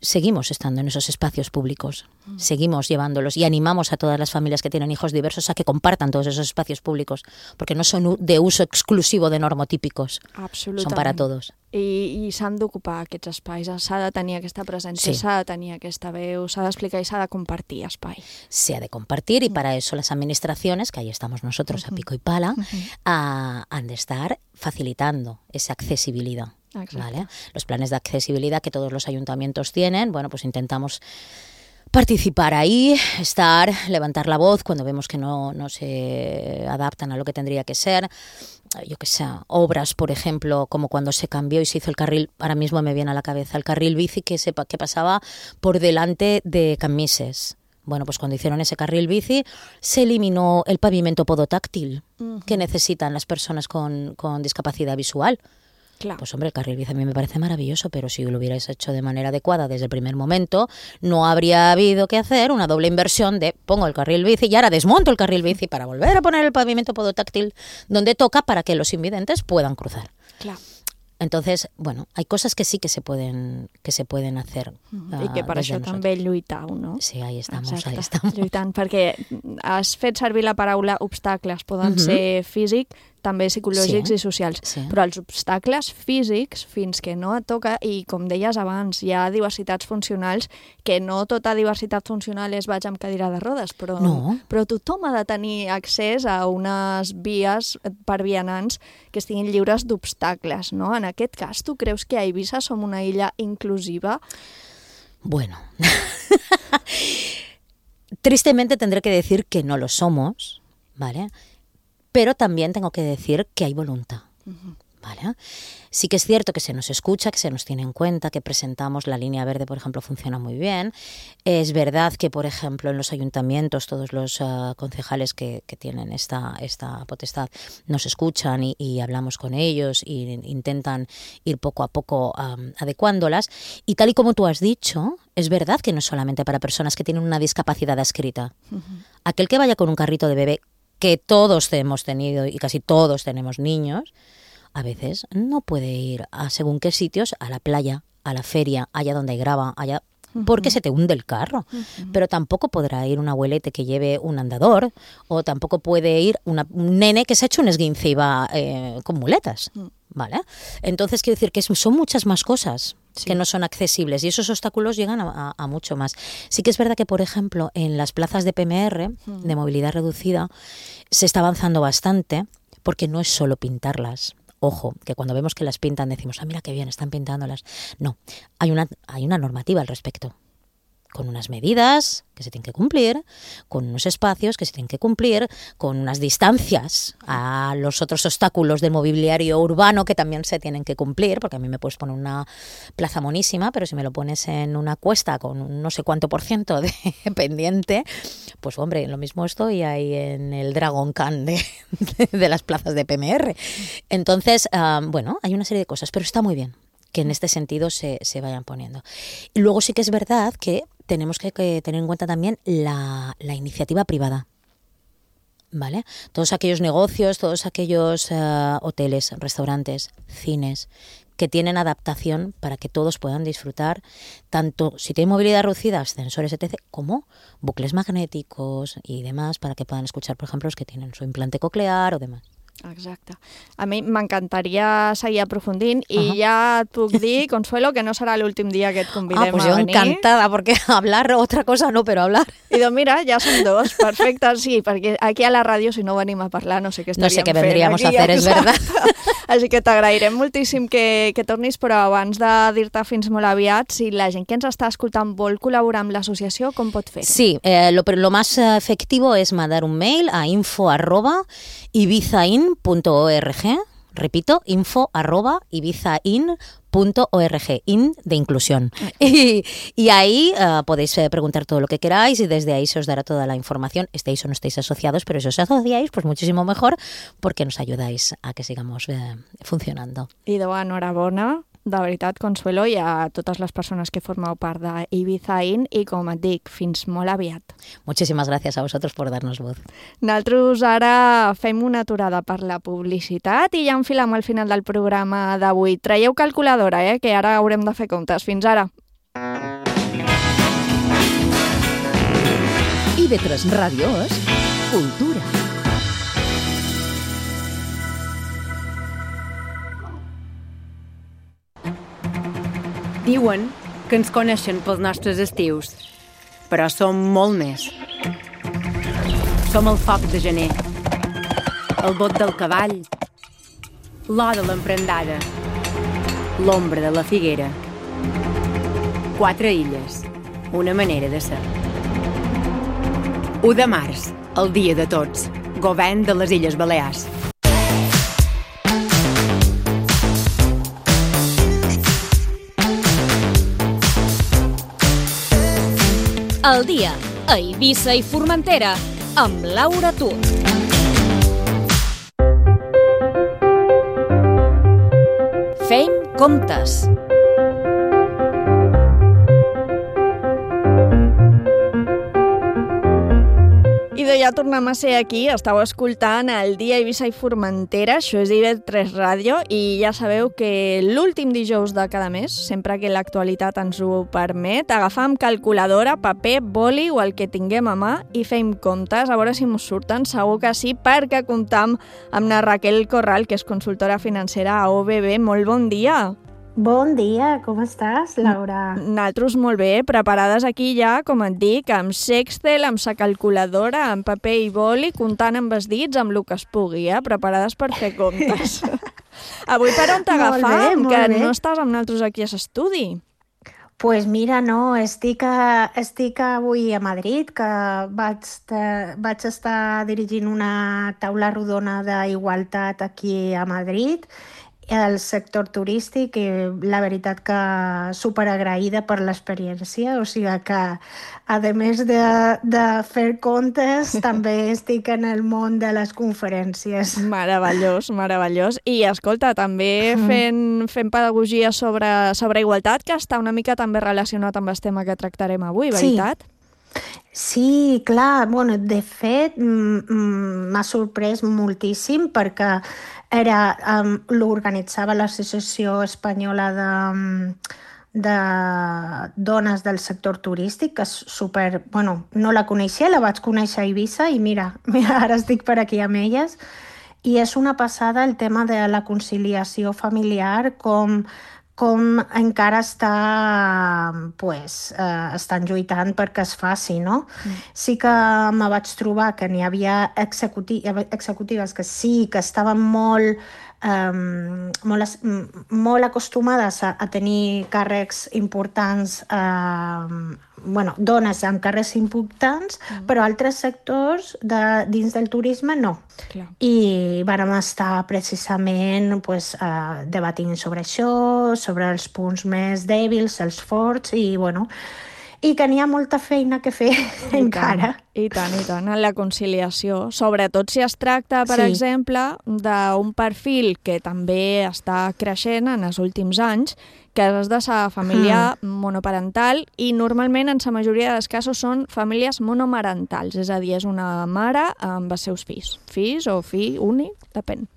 Seguimos estando en esos espacios públicos, mm. seguimos llevándolos y animamos a todas las familias que tienen hijos diversos a que compartan todos esos espacios públicos, porque no son de uso exclusivo de normotípicos, son para todos. I, i s'han d'ocupar aquests espais, s'ha de tenir aquesta presència, sí. s'ha de tenir aquesta veu, s'ha d'explicar i s'ha de compartir espai. Se ha de compartir y para eso las administraciones, que ahí estamos nosotros uh-huh. a pico y pala, uh-huh. uh, han de estar facilitando esa accesibilidad. ¿Vale? Los planes de accesibilidad que todos los ayuntamientos tienen, bueno, pues intentamos participar ahí, estar, levantar la voz cuando vemos que no, no se adaptan a lo que tendría que ser. Yo que sé, obras, por ejemplo, como cuando se cambió y se hizo el carril, ahora mismo me viene a la cabeza, el carril bici que, se, que pasaba por delante de Camises. Bueno, pues cuando hicieron ese carril bici se eliminó el pavimento podotáctil uh-huh. que necesitan las personas con, con discapacidad visual. Claro. Pues hombre, el carril bici a mí me parece maravilloso, pero si lo hubierais hecho de manera adecuada desde el primer momento, no habría habido que hacer una doble inversión de pongo el carril bici y ahora desmonto el carril bici para volver a poner el pavimento podotáctil donde toca para que los invidentes puedan cruzar. Claro. Entonces, bueno, hay cosas que sí que se pueden que se pueden hacer. Uh, I que per això nosotros. També lluitau, no? Sí, ahí estamos, Exacte. ahí estamos. Lluitant, perquè has fet servir la paraula obstacles, poden uh-huh. ser físics, també psicològics sí, i socials, sí. però els obstacles físics, fins que no et toca, i com deies abans, hi ha diversitats funcionals, que no tota diversitat funcional és vaig amb cadira de rodes, però, no. però tothom ha de tenir accés a unes vies per vianants que estiguin lliures d'obstacles, no? En aquest cas, tu creus que a Eivissa som una illa inclusiva? Bueno, tristemente tendré que decir que no lo somos, ¿vale? Pero también tengo que decir que hay voluntad, uh-huh. ¿vale? Sí que es cierto que se nos escucha, que se nos tiene en cuenta, que presentamos la línea verde, por ejemplo, funciona muy bien. Es verdad que, por ejemplo, en los ayuntamientos todos los uh, concejales que, que tienen esta, esta potestad nos escuchan y, y hablamos con ellos e intentan ir poco a poco um, adecuándolas. Y tal y como tú has dicho, es verdad que no es solamente para personas que tienen una discapacidad adscrita. Uh-huh. Aquel que vaya con un carrito de bebé, que todos hemos tenido y casi todos tenemos niños, a veces no puede ir a según qué sitios, a la playa, a la feria, allá donde hay grava, allá, porque uh-huh. se te hunde el carro. Uh-huh. Pero tampoco podrá ir un abuelete que lleve un andador, o tampoco puede ir una, un nene que se ha hecho un esguince y va eh, con muletas. Uh-huh. ¿Vale? Entonces quiero decir que son muchas más cosas sí. que no son accesibles y esos obstáculos llegan a, a, a mucho más. Sí que es verdad que, por ejemplo, en las plazas de P M R, uh-huh. de movilidad reducida, se está avanzando bastante porque no es solo pintarlas. Ojo, que cuando vemos que las pintan decimos, ah, mira qué bien, están pintándolas. No, hay una, hay una normativa al respecto. con unas medidas que se tienen que cumplir, con unos espacios que se tienen que cumplir, con unas distancias a los otros obstáculos del mobiliario urbano que también se tienen que cumplir, porque a mí me puedes poner una plaza monísima, pero si me lo pones en una cuesta con un no sé cuánto por ciento de pendiente, pues hombre, lo mismo estoy ahí en el Dragon Khan de, de las plazas de P M R. Entonces, um, bueno, hay una serie de cosas, pero está muy bien que en este sentido se, se vayan poniendo. Y luego sí que es verdad que tenemos que, que tener en cuenta también la, la iniciativa privada, ¿vale? Todos aquellos negocios, todos aquellos uh, hoteles, restaurantes, cines, que tienen adaptación para que todos puedan disfrutar, tanto si tienen movilidad reducida, ascensores, etcétera, como bucles magnéticos y demás, para que puedan escuchar, por ejemplo, los que tienen su implante coclear o demás. Exacte. A mi m'encantaria seguir aprofundint i Ajá. ja et puc dir, Consuelo, que no serà l'últim dia que et convidem ah, pues a yo venir. encantada, porque hablar otra cosa no, pero hablar. I doncs mira, ja som dos, perfecte, sí, perquè aquí a la ràdio si no venim a parlar no sé què No estaríem sé qué fent vendríamos aquí, a hacer, es verdad. Així que t'agrairem moltíssim que, que tornis, però abans de dir-te fins molt aviat, si la gent que ens està escoltant vol col·laborar amb l'associació, com pot fer? Sí, eh, lo, lo más efectivo es mandar un mail a info arroba ibizain punto org. Repito, info arroba ibizain punto org, in de inclusión. Y, y ahí uh, podéis eh, preguntar todo lo que queráis y desde ahí se os dará toda la información, estéis o no estéis asociados, pero si os asociáis, pues muchísimo mejor, porque nos ayudáis a que sigamos eh, funcionando. I de enhorabona, de veritat, Consuelo, i a totes les persones que formeu part d'Ibizain i, com et dic, fins molt aviat. Muchísimas gracias a vosotros por darnos voz. Nosaltres ara fem una aturada per la publicitat i ja enfilem al final del programa d'avui. Traieu calculadora, eh, que ara haurem de fer comptes. Fins ara. I ve tres Ràdio és cultura. Diuen que ens coneixen pels nostres estius, però som molt més. Som el foc de gener, el bot del cavall, l'or de l'emprendada, l'ombra de la figuera. Quatre illes, una manera de ser. u de març, el dia de tots, govern de les Illes Balears. El dia a Eivissa i Formentera amb Laura Tur. Fem comptes. I de ja tornem a ser aquí, estàu escoltant el dia a Eivissa i Formentera, això és I V tres Ràdio, i ja sabeu que l'últim dijous de cada mes, sempre que l'actualitat ens ho permet, agafam calculadora, paper, boli o el que tinguem a mà i fem comptes, a veure si mos surten, segur que sí, perquè comptam amb la Raquel Corral, que és consultora financera a O B B. Molt bon dia! Bon dia, com estàs, Laura? Nosaltres molt bé, preparades aquí ja, com et dic, amb Sextel, amb sa calculadora, amb paper i boli, comptant amb els dits, amb el que es pugui, eh? Preparades per fer comptes. Avui per on t'agafam, que bé. no estàs amb nosaltres aquí a l'estudi? Pues mira, no, estic, a, estic avui a Madrid, que vaig, te, vaig estar dirigint una taula rodona d'igualtat aquí a Madrid, el sector turístic, i la veritat que superagraïda per l'experiència, o sigui que a més de, de fer comptes també estic en el món de les conferències. Meravellós, meravellós. I escolta, també fent, fent pedagogia sobre, sobre igualtat, que està una mica també relacionat amb el tema que tractarem avui, veritat? Sí. Sí, clar, bueno, de fet m'ha sorprès moltíssim perquè era, um, l'organitzava l'Associació Espanyola de, de Dones del Sector Turístic, que és super, bueno, no la coneixia, la vaig conèixer a Eivissa i mira, mira, ara estic per aquí amb elles. I és una passada el tema de la conciliació familiar, com com encara està, pues, eh, estan lluitant perquè es faci, no? Mm. Sí que me vaig trobar que n'hi havia executi executives que sí, que estaven molt, eh, molt, molt acostumades a, a tenir càrrecs importants eh, bueno, dones en carrers importants, mm. però altres sectors de, dins del turisme no. Clar. I vàrem estar precisament pues, uh, debatint sobre això, sobre els punts més dèbils, els forts, i bueno, i que n'hi ha molta feina que fer I encara. Tant, I tant, i tant, en la conciliació. Sobretot si es tracta, per Sí. exemple, d'un perfil que també està creixent en els últims anys, que és de la família mm. monoparental, i normalment en la majoria dels casos són famílies monomarentals, és a dir, és una mare amb els seus fills. Fills o fill únic, depèn.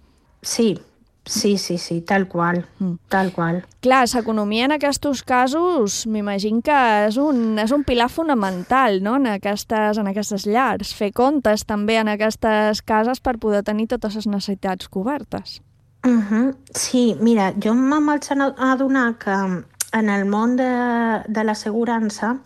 Sí, sí, sí, sí, tal qual, mm. tal qual. Clar, l'economia en aquests casos m'imagino que és un, és un pilar fonamental, no?, en aquestes, en aquestes llars. Fer comptes també en aquestes cases per poder tenir totes les necessitats cobertes. Uh-huh. Sí, mira, jo em vaig adonar que en el món de, de l'assegurança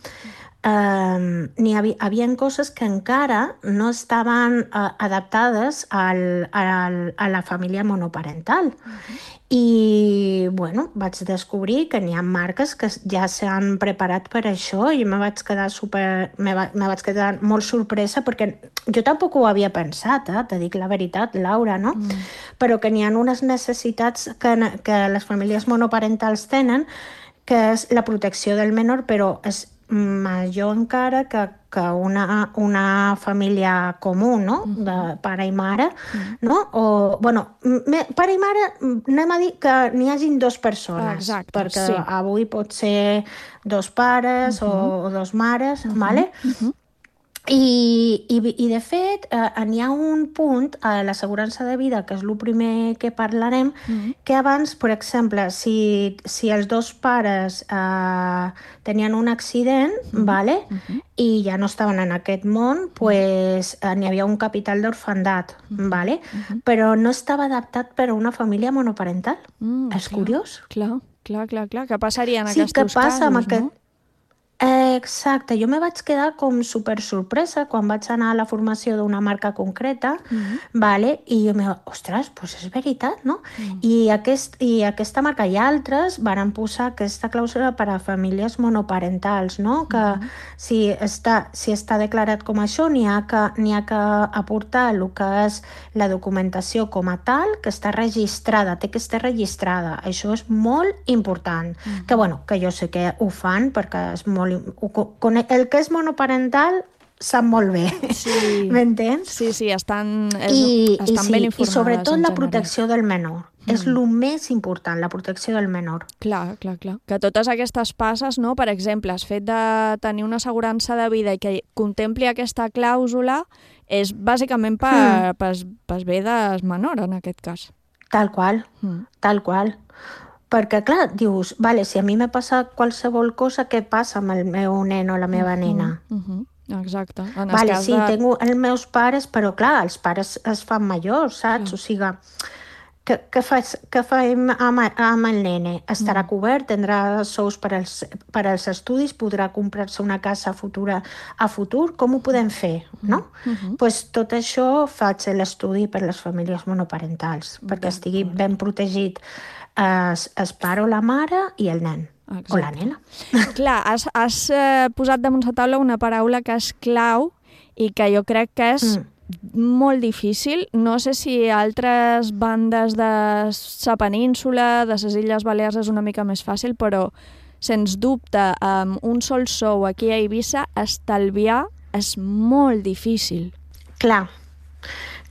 eh, n'hi havia, havia coses que encara no estaven eh, adaptades al, al, a la família monoparental. Uh-huh. I, bueno, vaig descobrir que n'hi ha marques que ja s'han preparat per això i me vaig quedar super... me, va, me vaig quedar molt sorpresa perquè jo tampoc ho havia pensat, eh? Te dic la veritat, Laura, no? Mm. Però que n'hi ha unes necessitats que, que les famílies monoparentals tenen, que és la protecció del menor, però és major encara que, que una, una família comú, no? De pare i mare, no? O, bueno, me, pare i mare, anem a dir que n'hi hagin dos persones. Exacte, perquè sí. avui pot ser dos pares uh-huh. o, o dos mares, uh-huh. vale? Uh-huh. I, i, i de fet eh, n'hi ha un punt a l'assegurança de vida, que és el primer que parlarem, mm-hmm. que abans, per exemple, si, si els dos pares eh, tenien un accident, mm-hmm. vale? Mm-hmm. i ja no estaven en aquest món, pues, eh, n'hi havia un capital d'orfandat, mm-hmm. vale? Mm-hmm. però no estava adaptat per a una família monoparental. Mm, és clar, curiós. Clar, clar, clar, clar. Què passaria en sí, aquests casos, passa amb no? aquest... Eh, exacte, jo me vaig quedar com super sorpresa quan vaig anar a la formació d'una marca concreta, mm-hmm. vale? i jo me vaig, ostres, doncs és veritat, no? Mm. I, aquest, I aquesta marca i altres van posar aquesta clàusula per a famílies monoparentals, no? Que mm-hmm. si, està, si està declarat com això, n'hi ha, que, n'hi ha que aportar el que és la documentació com a tal, que està registrada, té que estar registrada. Això és molt important. Mm-hmm. Que, bueno, que jo sé que ho fan perquè és molt el que és monoparental sap molt bé, sí. m'entens? Sí, sí, estan, és, I, estan i sí, ben informades. I sobretot la general. protecció del menor. Mm. És el més important, la protecció del menor. Clar, clar, clar. Que totes aquestes passes, no? Per exemple, el fet de tenir una assegurança de vida i que contempli aquesta clàusula és bàsicament per, mm. per, per bé del menor, en aquest cas. Tal qual, mm. tal qual. Perquè, clar, dius, vale, si a mi m'ha passat qualsevol cosa, què passa amb el meu nen o la meva uh-huh, nena? Uh-huh. Exacte. En vale, cas sí, de... tinc els meus pares, però clar, els pares es fan majors, saps? Uh-huh. O sigui, què, què, fas, què fem amb, amb el nene? Estarà uh-huh. cobert, tindrà sous per als, per als estudis, podrà comprar-se una casa futura a futur? Com ho podem fer, no? Uh-huh. Pues tot això faig l'estudi per les famílies monoparentals, uh-huh. perquè estigui ben protegit Es, es pare o la mare i el nen. Exacte. O la nena. Clar, has, has eh, posat damunt la taula una paraula que és clau i que jo crec que és mm. molt difícil. No sé si altres bandes de la península, de les Illes Balears és una mica més fàcil, però sens dubte amb un sol sou aquí a Eivissa estalviar és molt difícil. Clar.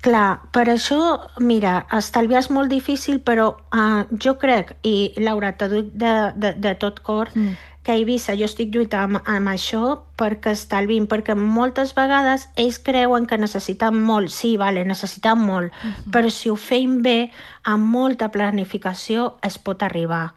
Clar, per això, mira, estalviar és molt difícil, però uh, jo crec, i Laura, t'ho dic de, de, de tot cor, mm. que a Eivissa jo estic lluitant amb, amb això perquè estalvin, perquè moltes vegades ells creuen que necessiten molt, sí, vale, necessiten molt, mm-hmm. però si ho feim bé, amb molta planificació es pot arribar.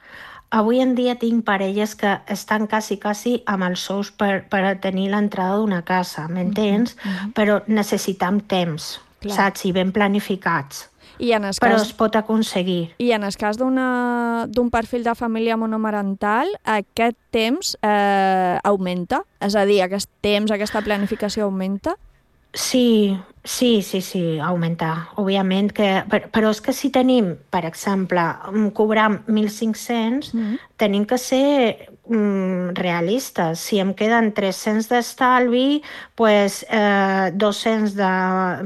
Avui en dia tinc parelles que estan quasi, quasi amb els sous per, per tenir l'entrada d'una casa, m'entens? Mm-hmm. Però necessitem temps. Clar. Saps? I ben planificats. I en Però cas... es pot aconseguir. I en el cas d'un perfil de família monomarental, aquest temps eh, augmenta? És a dir, aquest temps, aquesta planificació augmenta? Sí, sí, sí, sí, augmentar. Òbviament que... Però és que si tenim, per exemple, cobrar mil cinc-cents, mm. tenim que ser mm, realistes. Si em queden tres-cents d'estalvi, pues, eh, dos-cents de,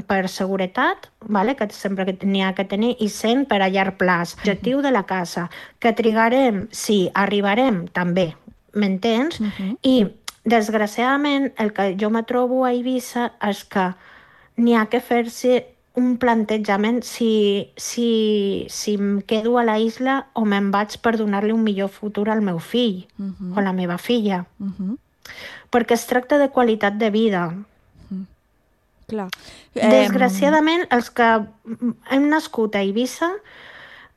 per seguretat, vale? Que sempre n'hi ha que tenir, i cent per a llarg plaç. Objectiu de la casa. Que trigarem, sí, arribarem, també, m'entens? Mm-hmm. I desgraciadament, el que jo me trobo a Eivissa és que n'hi ha que fer-se un plantejament si, si, si em quedo a la isla o me'n vaig per donar-li un millor futur al meu fill uh-huh. o a la meva filla. Uh-huh. Perquè es tracta de qualitat de vida. Uh-huh. Clar. Desgraciadament, els que hem nascut a Eivissa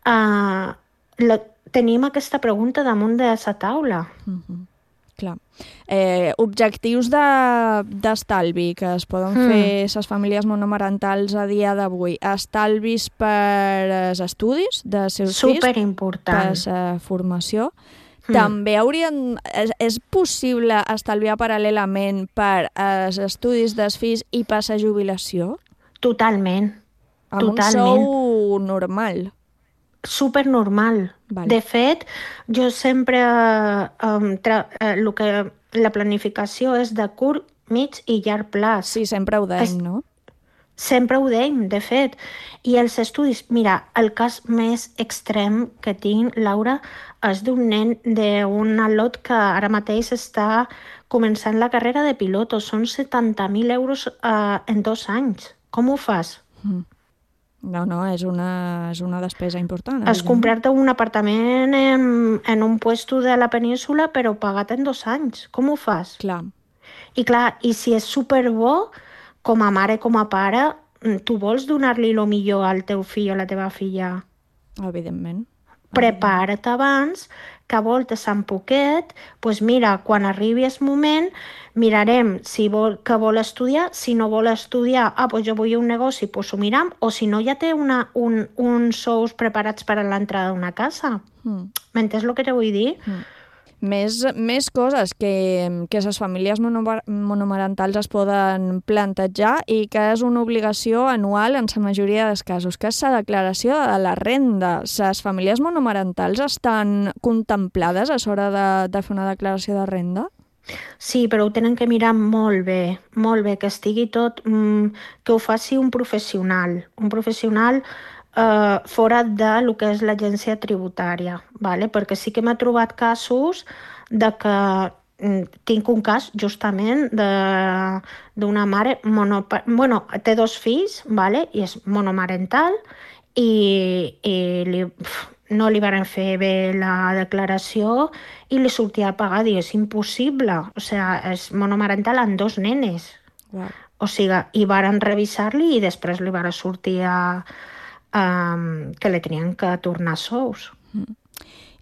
eh, la, tenim aquesta pregunta damunt de la taula. Uh-huh. Clar. Eh, objectius d'estalvi de, que es poden mm. fer les famílies monomarentals a dia d'avui. Estalvis per als estudis de seus fills, per la formació. Mm. També haurien... És, és possible estalviar paral·lelament per als estudis dels fills i per la jubilació? Totalment. Amb Totalment. un sou normal. Supernormal. Vale. De fet, jo sempre... Um, tra- uh, lo que, la planificació és de curt, mig i llarg plaç. Sí, sempre ho deim, es, no? Sempre ho deim, de fet. I els estudis... Mira, el cas més extrem que tinc, Laura, és d'un nen d'un al·lot que ara mateix està començant la carrera de piloto. Són setanta mil euros uh, en dos anys. Com ho fas? Mm. No, no, és una, és una despesa important. És comprar-te un apartament en, en un puesto de la península, però pagat en dos anys. Com ho fas? Clar. I clar, i si és superbo, com a mare, com a pare, tu vols donar-li el millor al teu fill o a la teva filla? Evidentment. Prepara't abans, que voltes en poquet, doncs mira, quan arribi el moment, mirarem si vol, que vol estudiar, si no vol estudiar, ah, doncs jo vull un negoci, doncs ho miram, o si no ja té una, un, uns sous preparats per a l'entrada d'una casa. Mm. M'entens el que te vull dir? Mm. Més, més coses que, que les famílies monomarentals es poden plantejar i que és una obligació anual en la majoria dels casos, que és la declaració de la renda. Les famílies monomarentals estan contemplades a l'hora de, de fer una declaració de renda? Sí, però ho tenen que mirar molt bé, molt bé, que estigui tot, mmm, que ho faci un professional, un professional Uh, fora de lo que és l'agència tributària, vale? Perquè sí que m'he trobat casos de que mm, tinc un cas justament d'una mare, monopa- bueno, té dos fills, vale? I és monomarental i, i li, pf, no li van fer bé la declaració i li sortia a pagar, i és impossible, o sigui, és monomarental amb dos nenes. Wow. O sigui, i varen revisar-li i després li van sortir a Um, que li tenien que tornar sous. Mm.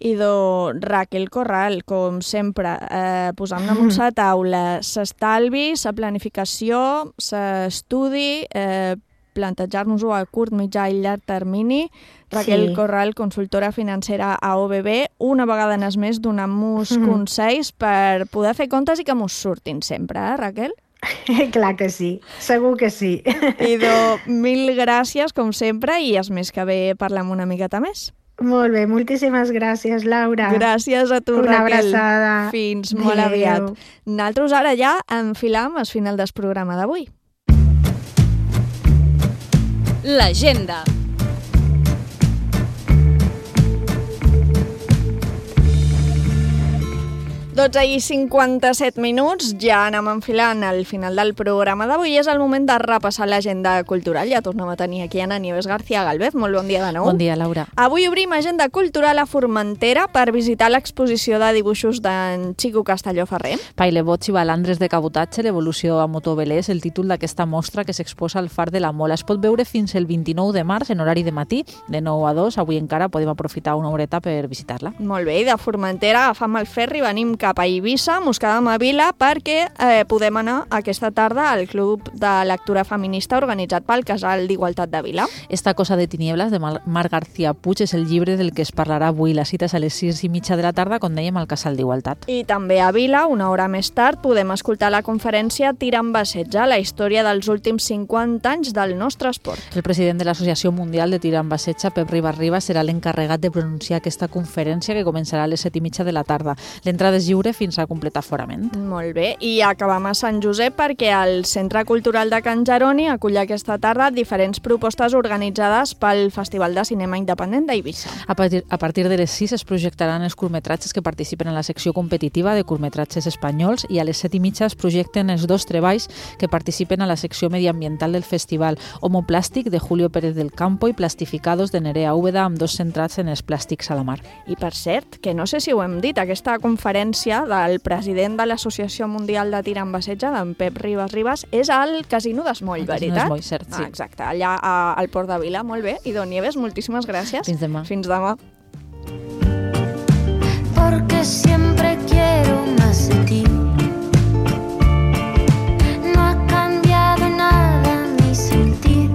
I do Raquel Corral, com sempre, eh, posant damunt la taula s'estalvi, la planificació, l'estudi, eh, plantejar-nos-ho a curt, mitjà i llarg termini. Raquel sí. Corral, consultora financera a O B B, una vegada en es més donant-nos mm. consells per poder fer comptes i que mos surtin sempre, eh, Raquel? Clar que sí, segur que sí. Idò, mil gràcies, com sempre, i és més que bé parlem una miqueta més. Molt bé, moltíssimes gràcies, Laura. Gràcies a tu, una Raquel. Una abraçada. Fins molt Adeu. aviat. Nosaltres ara ja enfilam al final del programa d'avui. L'agenda. dotze i cinquanta-set minuts, ja anem enfilant al final del programa d'avui i és el moment de repassar l'agenda cultural. Ja tornem a tenir aquí Ana Nieves García Galvez. Molt bon dia de nou. Bon dia, Laura. Avui obrim agenda cultural a Formentera per visitar l'exposició de dibuixos d'en Chico Castelló Ferrer. Pailebots i balandres de cabotatge, l'evolució a motovelé és el títol d'aquesta mostra que s'exposa al Far de la Mola. Es pot veure fins el vint-i-nou de març en horari de matí, de nou a dos. Avui encara podem aprofitar una horeta per visitar-la. Molt bé, i de Formentera agafam el ferri, venim cap a Eivissa, mos quedem a Vila, perquè eh, podem anar aquesta tarda al Club de Lectura Feminista organitzat pel Casal d'Igualtat de Vila. Esta cosa de tinieblas, de Mar García Puig, és el llibre del que es parlarà avui. La cita és a les sis i mitja de la tarda, com dèiem, al Casal d'Igualtat. I també a Vila, una hora més tard, podem escoltar la conferència Tir amb bassetge, la història dels últims cinquanta anys del nostre esport. El president de l'Associació Mundial de Tir amb bassetge, Pep Ribas Ribas, serà l'encarregat de pronunciar aquesta conferència que començarà a les set i mitja de la tarda. L'entrada és lliure fins a completar aforament. Molt bé, i acabam a Sant Josep perquè el Centre Cultural de Can Jeroni acull aquesta tarda diferents propostes organitzades pel Festival de Cinema Independent d'Eivissa. A partir, a partir de les sis es projectaran els curtmetratges que participen en la secció competitiva de curtmetratges espanyols i a les set i mitja es projecten els dos treballs que participen a la secció mediambiental del festival, Homoplàstic de Julio Pérez del Campo i Plastificados de Nerea Úbeda, amb dos centrats en els plàstics a la mar. I per cert, que no sé si ho hem dit, aquesta conferència del president de l'Associació Mundial de Tir amb bassetge, d'en Pep Ribas Ribas, és al Casino d'Esmoll, veritat? Casino d'Esmoll, cert, sí. Ah, exacte, allà a, al Port de Vila, molt bé. I Don Nieves, moltíssimes gràcies. Fins demà. Fins demà. Porque siempre quiero más de ti. No ha cambiado nada mi sentir.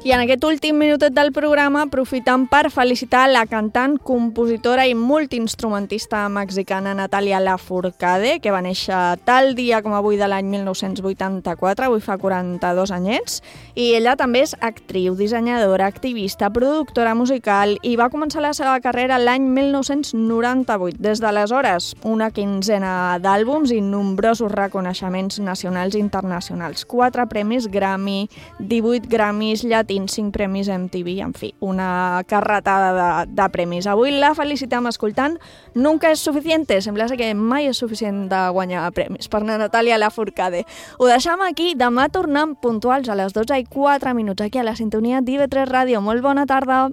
I en aquest últim minutet del programa aprofitam per felicitar la cantant, compositora i multiinstrumentista mexicana Natalia Lafourcade, que va néixer tal dia com avui de l'any mil nou-cents vuitanta-quatre, avui fa quaranta-dos anyets, i ella també és actriu, dissenyadora, activista, productora musical i va començar la seva carrera l'any mil nou-cents noranta-vuit. Des d'aleshores, una quinzena d'àlbums i nombrosos reconeixements nacionals i internacionals. Quatre premis Grammy, divuit Grammys llatins, cinc premis M T V, en fi, una carretada de, de premis. Avui la felicitem escoltant Nunca és suficiente, sembla que mai és suficient de guanyar premis per Natalia Lafourcade. Ho deixam aquí, demà tornem puntuals a les dotze i quatre minuts aquí a la sintonia d'I V tres Ràdio. Molt bona tarda!